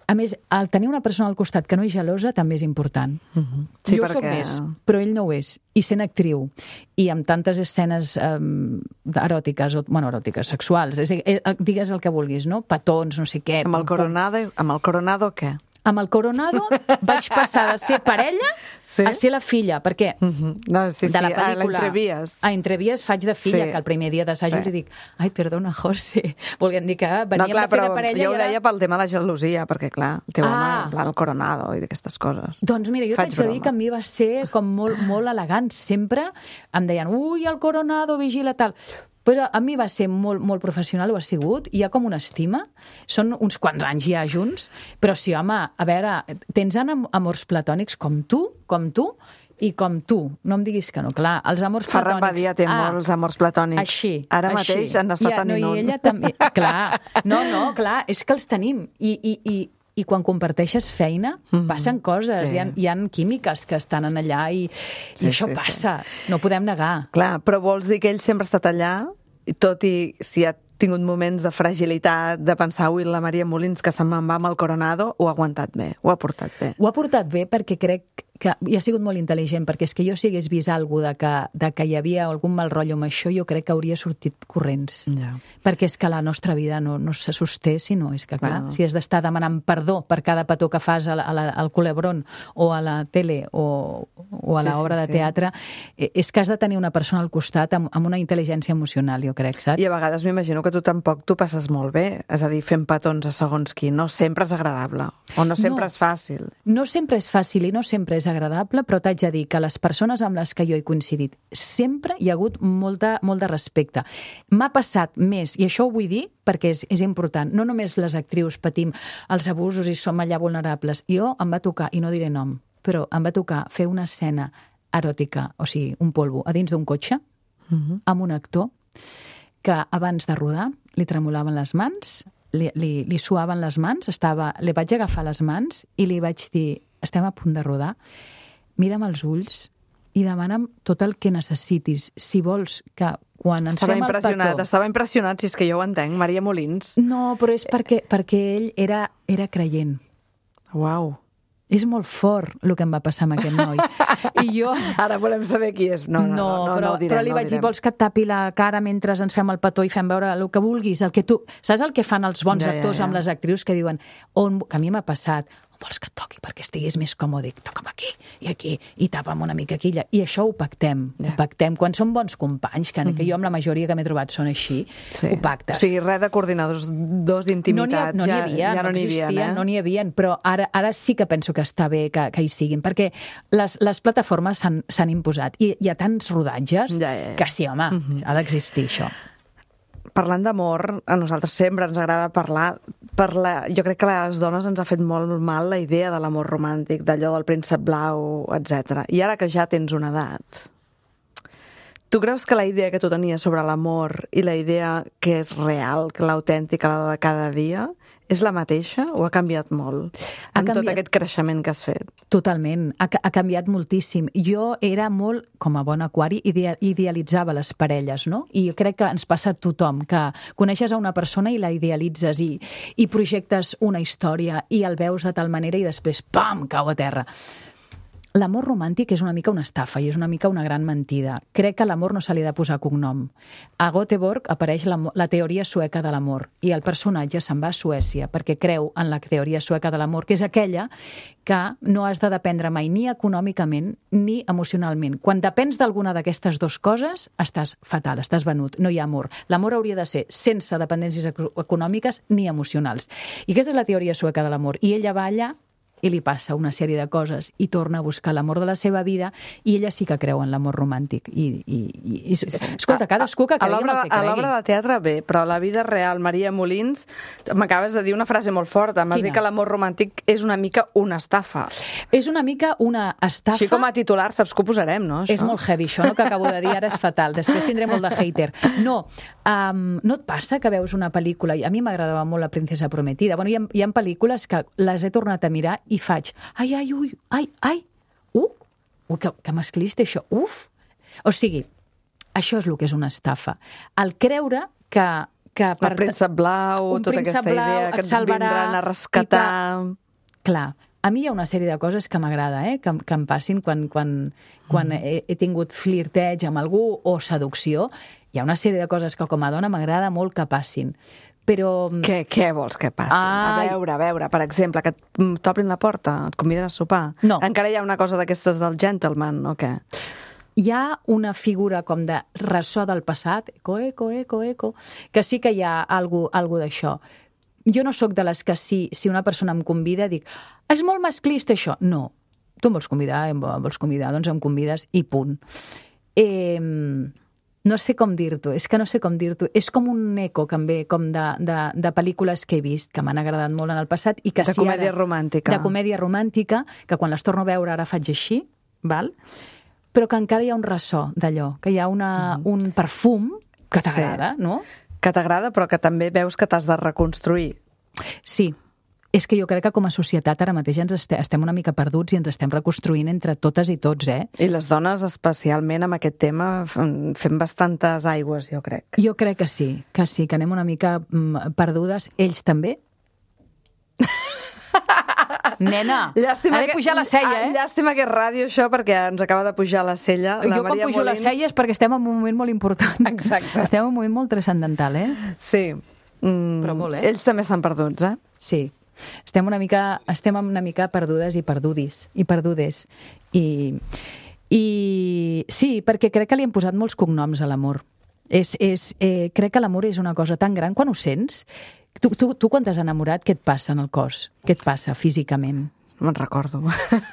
A més, el tenir una persona al costat que no és gelosa també és important.
Mhm. Sí,
jo
perquè-
sóc més, però ell no ho és. I sent actriu, i amb tantes escenes um, eròtiques, o, bueno, eròtiques, sexuals, és, eh, digues el que vulguis, no? Petons, no sé què.
Amb el coronado, amb el coronado què?
Amb el Coronado vaig passar de ser parella
Sí?
a ser la filla, perquè
Mhm. No, sí, sí,
de la
a
pel·lícula...
l'entrevies.
A Entrevies faig de filla,
Sí.
que el primer dia d'assaig
Sí.
li dic ai, perdona, José, volguem dir que veníem
No, clar,
de fer
però
de parella
jo ho
i ara...
deia pel tema de la gelosia, perquè, clar, el teu
Ah.
home, en plan, el coronado i d'aquestes coses.
Doncs mira, jo
Faig
t'haig de dir
broma.
que a mi va ser com molt, molt elegant. Sempre em deien, ui, el Coronado, vigila, tal. Però a mi va ser molt, molt professional, ho ha sigut. Hi ha com una estima. Són uns quants anys ja junts. Però sí, home, a veure, tens am- amors platònics com tu, com tu, i com tu. No em diguis que no. Clar, els amors
Ferran
platònics...
Badia té molts amors platònics.
Així.
Ara
així.
mateix en està
I,
tenint
no,
un.
I ella també. Clar, no, no, clar, és que els tenim. I, i, i, i quan comparteixes feina,
Mhm.
passen coses.
Sí.
Hi ha, hi ha químiques que estan en allà i,
Sí,
i això
sí, sí.
passa. No ho podem negar.
Clar, però vols dir que ell sempre ha estat allà, i tot i si ha tingut moments de fragilitat, de pensar, ui, la Maria Molins, que se'n me'n va amb el Coronado, ho ha aguantat bé, ho ha portat bé.
Ho ha portat bé perquè crec que i ha sigut molt intel·ligent, perquè és que jo si hagués vist alguna cosa de, de que hi havia algun mal rotllo amb això, jo crec que hauria sortit corrents.
Ja.
Perquè és que la nostra vida no, no se sosté si no, és que clar,
Clar.
si has d'estar demanant perdó per cada petó que fas a la, a la, al Culebrón o a la tele o, o a
Sí,
l'obra
sí,
de
sí.
teatre, eh, és que has de tenir una persona al costat amb, amb una intel·ligència emocional, jo crec, saps?
I a vegades m'imagino que tu tampoc t'ho passes molt bé, és a dir, fent petons a segons qui. No sempre és agradable, o no sempre
No.
és fàcil.
No sempre és fàcil i no sempre és agradable, però t'haig de dir que les persones amb les que jo he coincidit sempre hi ha hagut molta, molt de respecte. M'ha passat més, i això ho vull dir perquè és, és important, no només les actrius patim els abusos i som allà vulnerables. Jo em va tocar, i no diré nom, però em va tocar fer una escena eròtica, o sigui, un polvo, a dins d'un cotxe,
Mhm.
amb un actor que abans de rodar li tremolaven les mans, li, li, li suaven les mans, estava, li vaig agafar les mans i li vaig dir, estem a punt de rodar, mira'm els ulls i demana'm tot el que necessitis. Si vols que quan ens
Estava
fem el
impressionat,
petó...
estava impressionat, si és que jo ho entenc, Maria Molins.
No, però és perquè, perquè ell era, era creient.
Uau.
És molt fort el que em va passar amb aquest noi. I jo...
Ara volem saber qui és. No, no, no, no,
però,
no direm,
però li
no
vaig dir,
direm.
vols que et tapi la cara mentre ens fem el petó i fem veure el que vulguis, el que tu... Saps el que fan els bons
Ja, ja,
actors
ja.
amb les actrius que diuen, on, que a mi m'ha passat, on vols que et toqui perquè estiguis més còmode? Dic, toca'm aquí i aquí i tapa'm una mica aquí. I això ho pactem,
Ja.
ho pactem. Quan són bons companys, que, que jo amb la majoria que m'he trobat són així,
Sí.
ho pactes.
O sigui, res de coordinadors dos d'intimitat.
No n'hi
ja,
havia,
ja
no,
no n'hi havia,
existien,
eh?
no n'hi havia, però ara, ara sí que penso que està bé que, que hi siguin, perquè les, les plataformes s'han s'han imposat i hi ha tants rodatges
Ja, ja, ja.
que sí, home,
Mhm.
ha d'existir això.
Parlant d'amor, a nosaltres sempre ens agrada parlar, parlar... Jo crec que a les dones ens ha fet molt mal la idea de l'amor romàntic, d'allò del príncep blau, etcètera. I ara que ja tens una edat, tu creus que la idea que tu tenies sobre l'amor i la idea que és real, que l'autèntica, la de cada dia, és la mateixa o ha canviat molt
Ha
en tot
canviat.
aquest creixement que has fet?
Totalment, ha, ca- ha canviat moltíssim. Jo era molt, com a bon aquari, idea, idealitzava les parelles, no? I jo crec que ens passa a tothom, que coneixes a una persona i la idealitzes i, i projectes una història i el veus de tal manera i després, pam, cau a terra. L'amor romàntic és una mica una estafa i és una mica una gran mentida. Crec que a l'amor no se li ha de posar cognom. A Göteborg apareix la, la teoria sueca de l'amor i el personatge se'n va a Suècia perquè creu en la teoria sueca de l'amor, que és aquella que no has de dependre mai ni econòmicament ni emocionalment. Quan depens d'alguna d'aquestes dues coses, estàs fatal, estàs venut, no hi ha amor. L'amor hauria de ser sense dependències eco- econòmiques ni emocionals. I aquesta és la teoria sueca de l'amor. I ella va allà i li passa una sèrie de coses i torna a buscar l'amor de la seva vida i ella sí que creu en l'amor romàntic. I, i, i, i escolta, cadascú que
A
cregui en
l'obra
el que
a
cregui.
l'obra de teatre bé, però a la vida real, Maria Molins, m'acabes de dir una frase molt forta. M'has
Quina?
dit que l'amor romàntic és una mica una estafa.
És una mica una estafa.
Així com a titular, saps que ho posarem, no? Això?
És molt heavy, això, no? Que acabo de dir ara és fatal. Després tindré molt de hater. No, um, no et passa que veus una pel·lícula... A mi m'agradava molt La princesa prometida. Bueno, hi ha, hi ha pel·lícules que les he tornat a mirar i faig... Ai, ai, ui, ai, ai, uh, ui, que, que masclista això, uf. O sigui, això és el que és una estafa. El creure que... que
El príncep blau,
un
tota
príncep
aquesta
blau
idea que
et
et
salvarà
vindran a
i
rescatar...
Clar, a mi hi ha una sèrie de coses que m'agrada, eh? que, que em passin quan, quan, quan
Mm.
he, he tingut flirteig amb algú o seducció. Hi ha una sèrie de coses que com a dona m'agrada molt que passin. Però...
Què, què vols que passi?
Ai.
A veure, a veure, per exemple, que et t'obrin la porta, et conviden a sopar.
No.
Encara hi ha una cosa d'aquestes del gentleman, o què?
Hi ha una figura com de ressò del passat, eco, eco, eco, eco, que sí que hi ha algo, algo d'això. Jo no sóc de les que si, si una persona em convida dic, és molt masclista això. No, tu em vols convidar, em vols convidar, doncs em convides i punt. Eh, no sé com dir-t'ho, és que no sé com dir-t'ho. És com un eco que em ve com de, de, de pel·lícules que he vist, que m'han agradat molt en el passat. I que
De
si
comèdia
ara,
romàntica.
De comèdia romàntica, que quan les torno a veure ara faig així, val? Però que encara hi ha un ressò d'allò, que hi ha una, mm. un perfum que t'agrada,
Sí.
no?
Que t'agrada, però que també veus que t'has de reconstruir.
Sí, és que jo crec que com a societat ara mateix ens este, estem una mica perduts i ens estem reconstruint entre totes i tots, eh?
I les dones, especialment amb aquest tema, fem fem bastantes aigües, jo crec.
Jo crec que sí, que sí, que anem una mica mm, perdudes. Ells també? Nena,
Llàstima
ha de pujar la cella,
ah,
eh?
Llàstima que és ràdio, això, perquè ens acaba de pujar la cella. La
jo quan
Maria
pujo
Molins...
les celles perquè estem en un moment molt important.
Exacte.
Estem en un moment molt transcendental, eh?
Sí. Mm,
Però molt, eh?
Ells també estan perduts, eh?
Sí. Estem una mica, estem una mica perdudes i perdudis, i perdudes. I, i sí, perquè crec que li han posat molts cognoms a l'amor. És, és, eh, crec que l'amor és una cosa tan gran. Quan ho sents, tu, tu, tu quan t'has enamorat, què et passa en el cos? Què et passa físicament?
No me'n recordo.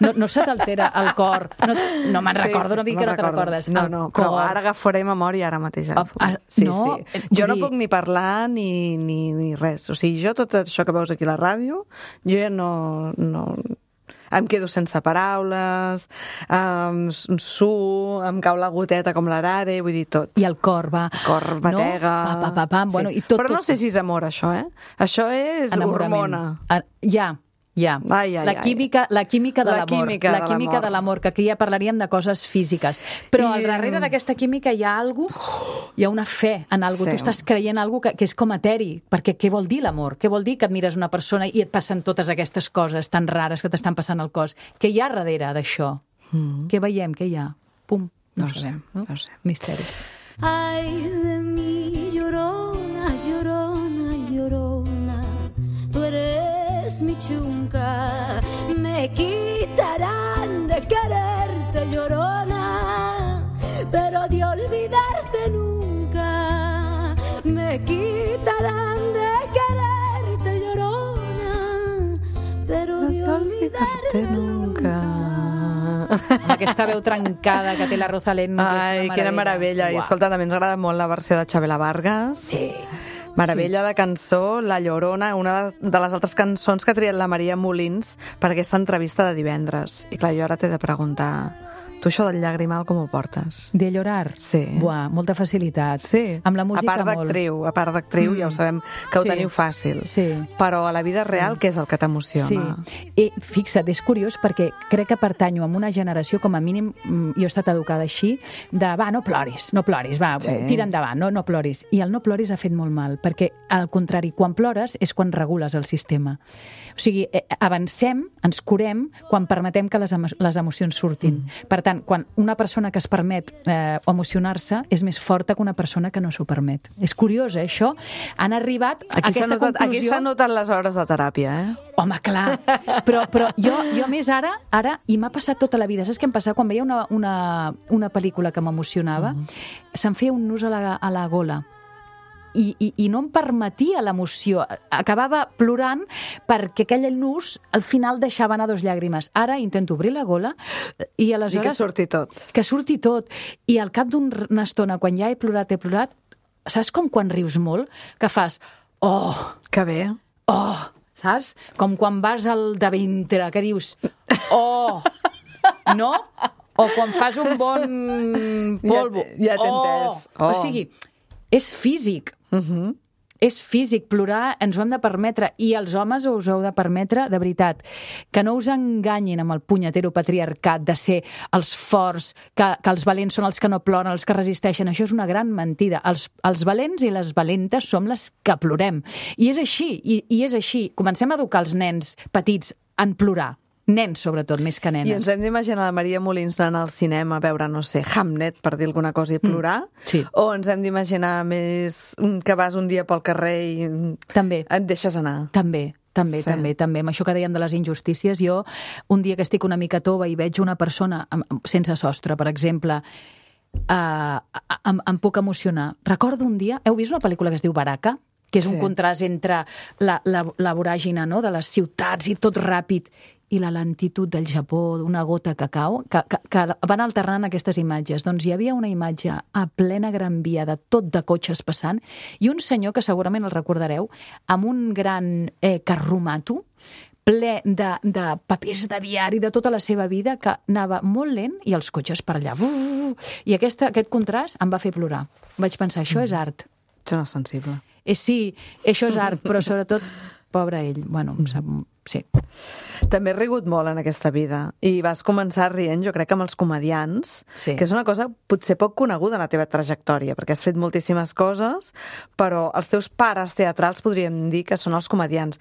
No, no se t'altera el cor? No, no me'n
Sí,
recordo, no
sí,
dic que no te'n
recordo.
recordes.
No,
El
no,
cor.
però ara agafaré memòria ara mateix.
Ah, ah,
sí,
no,
sí.
vull
Jo no
dir-
puc ni parlar ni, ni, ni res. O sigui, jo tot això que veus aquí a la ràdio, jo ja no... no... Em quedo sense paraules, em suo, em cau la goteta com l'arare, vull dir tot.
I el cor va...
El cor batega...
No? Pa, pa, pa, pam.
Sí.
Bueno, i tot,
Però no
tot,
sé si és amor, això, eh? Això és
enamorament.
hormona.
Ah, ja, Ja.
Ai, ai,
la química, la química de
La
l'amor.
química
La
de
química
l'amor.
de l'amor, que aquí ja parlaríem de coses físiques. Però
I,
al darrere d'aquesta química hi ha algo, hi ha una fe en algo.
Sí.
Tu estàs creient algo que, que és com eteri. Perquè què vol dir l'amor? Què vol dir que admires una persona i et passen totes aquestes coses tan rares que t'estan passant al cos? Què hi ha darrere d'això? Mm. Què veiem? Què hi ha? Pum. No,
No
ho
sé,
sabem. No?
no sé.
Misteri.
Ay de mí, llorona, llorona, llorona, tú eres mi chunca, me quitarán de quererte, llorona, pero de olvidarte nunca, me quitarán de quererte, llorona, pero de olvidarte nunca.
Amb aquesta veu trencada que té la Rosalén. que és una
Ai, quina meravella. I
Uau.
escolta, també ens agrada molt la versió de Chabela Vargas.
Sí.
Meravella de cançó, La Llorona, una de les altres cançons que ha triat la Maria Molins per aquesta entrevista de divendres. I clar, jo ara t'he de preguntar, tu això del llagrimal com ho portes?
De llorar?
Sí.
Buah, molta facilitat.
Sí.
Amb la música
a part
molt.
d'actriu, a part d'actriu,
Mm.
ja ho sabem que ho
Sí.
teniu fàcil.
Sí.
Però a la vida real, què és el que t'emociona?
Sí. I fixa't, és curiós perquè crec que pertanyo a una generació, com a mínim, mm, jo he estat educada així, de va, no ploris, no ploris, va,
Sí.
tira endavant, no, no ploris. I el no ploris ha fet molt mal, perquè al contrari, quan plores és quan regules el sistema. O sigui, eh, avancem, ens curem, quan permetem que les, emo les emocions surtin. Mm. Per tant, quan una persona que es permet eh, emocionar-se és més forta que una persona que no s'ho permet. És curiós, eh, això? Han arribat a
Aquí s'ha
aquesta
notat, aquí
conclusió...
s'han notat les hores de teràpia, eh?
Home, clar. Però, però jo, jo a més ara, ara, i m'ha passat tota la vida, saps què em passa? Quan veia una, una, una pel·lícula que m'emocionava, mm. se'm feia un nus a la, a la gola. I, i, i no em permetia l'emoció. Acabava plorant perquè aquell nus al final deixava anar dos llàgrimes. Ara intento obrir la gola i aleshores...
I que surti tot.
Que surti tot. I al cap d'una estona, quan ja he plorat, he plorat, saps com quan rius molt? Que fas, oh,
Que bé.
oh, saps? Com quan vas al de ventre, que dius, oh, no? O quan fas un bon polvo.
Ja- ja t'he
oh.
entès. Oh.
O sigui, és físic.
Uh-huh.
És físic, plorar ens ho hem de permetre, i els homes us ho heu de permetre, de veritat. Que no us enganyin amb el punyetero patriarcat de ser els forts, que, que els valents són els que no ploren, els que resisteixen. Això és una gran mentida. Els, els valents i les valentes som les que plorem. I és així, i, i és així. Comencem a educar els nens petits en plorar. Nens, sobretot, més que nenes.
I ens hem d'imaginar la Maria Molins anant al cinema a veure, no sé, Hamlet, per dir alguna cosa, i plorar?
Mm, sí.
O ens hem d'imaginar més que vas un dia pel carrer i
També.
et deixes anar?
També, també,
Sí.
també, també. Amb això que dèiem de les injustícies, jo un dia que estic una mica tova i veig una persona amb, amb- sense sostre, per exemple, uh, em, em puc emocionar. Recordo un dia, heu vist una pel·lícula que es diu Baraka? Que és un
Sí.
contrast entre la, la, la voràgina, no?, de les ciutats i tot ràpid, i la lentitud del Japó, d'una gota que cau, que, que, que van alternant aquestes imatges. Doncs hi havia una imatge a plena Gran Via de tot de cotxes passant i un senyor, que segurament el recordareu, amb un gran eh, carromato, ple de, de papers de diari de tota la seva vida, que anava molt lent i els cotxes per allà. I aquesta, aquest contrast em va fer plorar. Vaig pensar, això és art.
Ets una sensible.
Eh, sí, això és art, però sobretot, pobre ell. Bueno, em sap, sí.
També he rigut molt en aquesta vida i vas començar rient, jo crec, que amb els comedians,
Sí.
que és una cosa potser poc coneguda en la teva trajectòria, perquè has fet moltíssimes coses, però els teus pares teatrals podríem dir que són els comedians.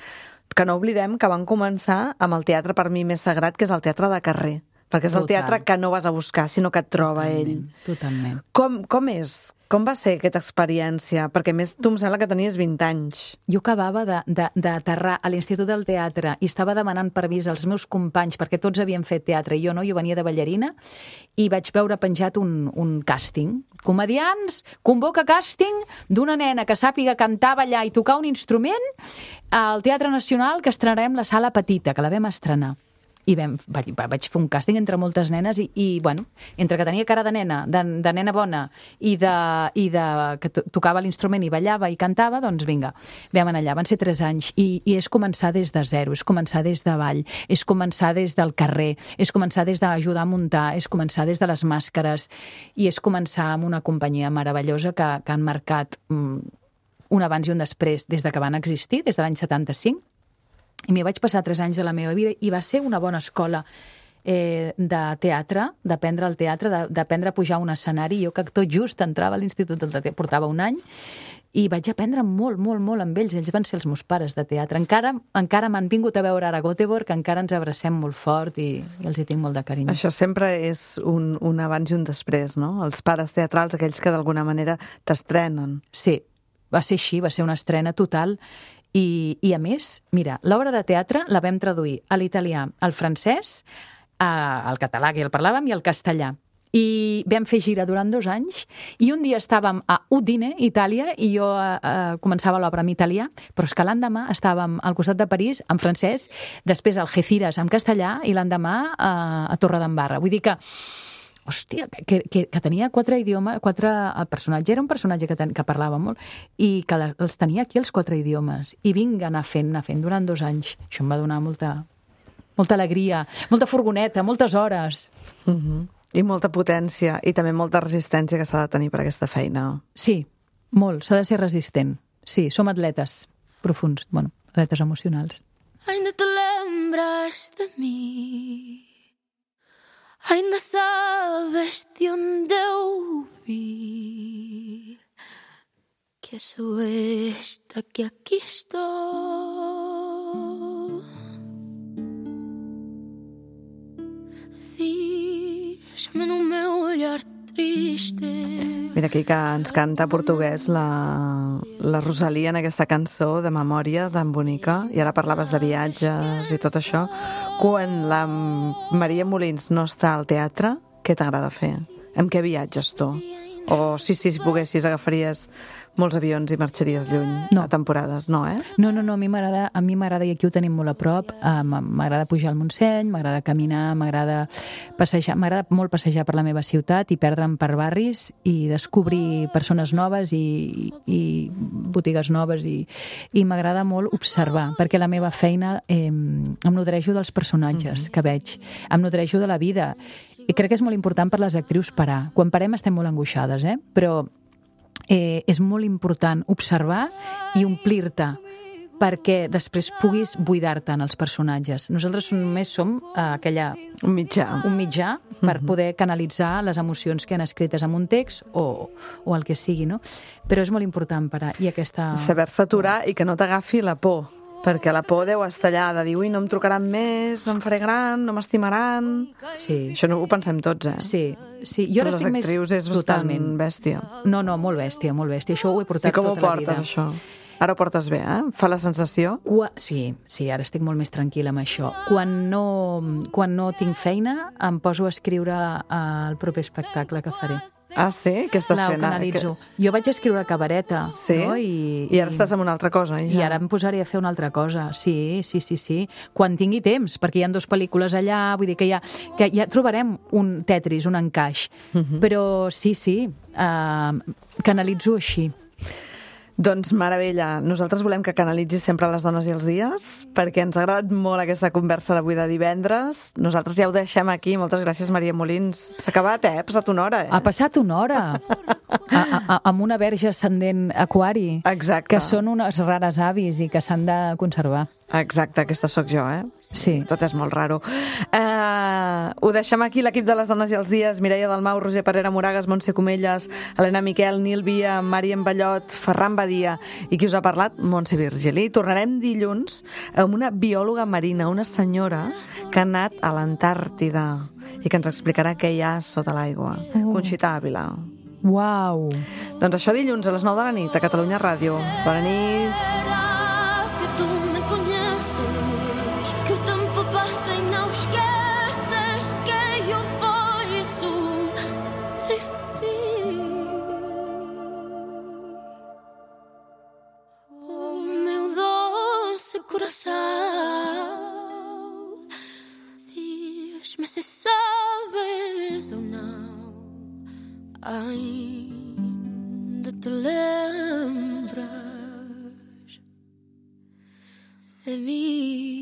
Que no oblidem que van començar amb el teatre per mi més sagrat, que és el teatre de carrer, perquè és el
Total.
teatre que no vas a buscar, sinó que et troba ell.
Totalment.
Com, com és? Com va ser aquesta experiència? Perquè a més tu em sembla que tenies vint anys.
Jo acabava de- de- d'aterrar a l'Institut del Teatre i estava demanant permís als meus companys, perquè tots havien fet teatre i jo no, jo venia de ballarina, i vaig veure penjat un, un càsting. Comedians, convoca càsting d'una nena que sàpiga cantar, ballar i tocar un instrument al Teatre Nacional, que estrenarem la Sala Petita, que la vam estrenar. I vam, vaig, vaig fer un càsting entre moltes nenes i, i bueno, entre que tenia cara de nena, de, de nena bona, i de, i de que to tocava l'instrument i ballava i cantava, doncs vinga, vam anar allà. Van ser tres anys i, i és començar des de zero, és començar des de ball, és començar des del carrer, és començar des d'ajudar a muntar, és començar des de les màscares i és començar amb una companyia meravellosa que, que han marcat mm, un abans i un després des de que van existir, des de l'any setanta-cinc. I m'hi vaig passar tres anys de la meva vida i va ser una bona escola eh, de teatre, d'aprendre el teatre, de- d'aprendre a pujar a un escenari. Jo que tot just entrava a l'Institut del Teatre, portava un any, i vaig aprendre molt, molt, molt amb ells. Ells van ser els meus pares de teatre. Encara, encara m'han vingut a veure ara a Göteborg, encara ens abracem molt fort i, i els hi tinc molt de carinyo.
Això sempre és un, un abans i un després, no? Els pares teatrals, aquells que d'alguna manera t'estrenen.
Sí, va ser així, va ser una estrena total. I, i a més, mira, l'obra de teatre la vam traduir a l'italià, al francès, a, al català, que ja el parlàvem, i al castellà. I vam fer gira durant dos anys i un dia estàvem a Udine, Itàlia, i jo eh, començava l'obra en italià, però és que l'endemà estàvem al costat de París en francès, després a Algeciras en castellà i l'endemà eh, a Torredembarra. Vull dir que hòstia, que, que, que tenia quatre idiomes, quatre, el personatge era un personatge que, ten, que parlava molt i que la, els tenia aquí els quatre idiomes i vinga anar fent, anar fent durant dos anys. Això em va donar molta, molta alegria, molta furgoneta, moltes hores.
Uh-huh. I molta potència i també molta resistència que s'ha de tenir per aquesta feina.
Sí, molt, s'ha de ser resistent. Sí, som atletes profuns, bueno, atletes emocionals.
Ainda te lembras de mí, ainda sabes de onde eu vi, que sou esta que aquí estou. Diz-me no meu olhar triste.
Mira aquí que ens canta portuguès la, la Rosalia en aquesta cançó de memòria tan bonica, i ara parlaves de viatges i tot això. Quan la Maria Molins no està al teatre, què t'agrada fer? Amb què viatges tu? O si, si poguessis agafaries molts avions i marxaries lluny
No.
a temporades, no, eh?
No, no, no, a mi m'agrada, a mi m'agrada, i aquí ho tenim molt a prop, eh, m'agrada pujar al Montseny, m'agrada caminar, m'agrada passejar, m'agrada molt passejar per la meva ciutat i perdre'm per barris i descobrir persones noves i, i botigues noves i, i m'agrada molt observar, perquè la meva feina eh, em nodrejo dels personatges mm-hmm. que veig, em nodrejo de la vida, i crec que és molt important per les actrius parar. Quan parem estem molt angoixades, eh? Però eh, és molt important observar i omplir-te perquè després puguis buidar-te en els personatges. Nosaltres només som eh, aquella...
Un mitjà.
un mitjà per poder canalitzar les emocions que han escrites en un text o, o el que sigui, no? Però és molt important parar. I aquesta...
Saber-se aturar i que no t'agafi la por, perquè la por deu estar allà de dir, ui, no em trucaran més, em faré gran, no m'estimaran...
Sí.
Això no ho pensem tots, eh?
Sí, sí. Jo
Per
ara
les
estic més...
actrius és bastant
Totalment.
bèstia.
No, no, molt bèstia, molt bèstia. Això ho he portat
I com ho
tota la
portes,
vida.
això? Ara ho portes bé, eh? Fa la sensació?
Qua... Sí, sí, ara estic molt més tranquil·la amb això. Quan no, quan no tinc feina, em poso a escriure el proper espectacle que faré.
Ah, sí? Què estàs
Clar, ho
fent?
canalitzo. Jo vaig escriure cabareta,
Sí?
no? I,
I ara estàs amb una altra cosa,
I
ja.
ara em posaré a fer una altra cosa. Sí, sí, sí, sí. Quan tingui temps, perquè hi ha dues pel·lícules allà, vull dir que ja, que ja trobarem un Tetris, un encaix.
Mhm.
Però sí, sí, uh, canalitzo així.
Doncs meravella. Nosaltres volem que canalitzis sempre les dones i els dies, perquè ens ha agradat molt aquesta conversa d'avui de divendres. Nosaltres ja ho deixem aquí. Moltes gràcies, Maria Molins. S'ha acabat, eh? Ha passat una hora, eh?
Ha passat una hora a, a, a, amb una verge ascendent aquari.
Exacte.
Que són unes rares avis i que s'han de conservar.
Exacte, aquesta sóc jo, eh?
Sí.
Tot és molt raro. Uh, ho deixem aquí, l'equip de les dones i els dies. Mireia Dalmau, Roger Parera Moragas, Montse Comelles, Helena Miquel, Nil Via, Màriam Ballot, Ferran Badia i qui us ha parlat, Montse Virgili. Tornarem dilluns amb una biòloga marina, una senyora que ha anat a l'Antàrtida i que ens explicarà què hi ha sota l'aigua.
Oh.
Conxita Ávila.
Uau!
Doncs això dilluns a les nou de la nit a Catalunya Ràdio. Bona nit.
Será que tu me conheces, que o tempo passa e não esqueces que eu fui sofrer. Oh, meu doce coração, diz-me se sabes ou não. Ainda te lembras de mim?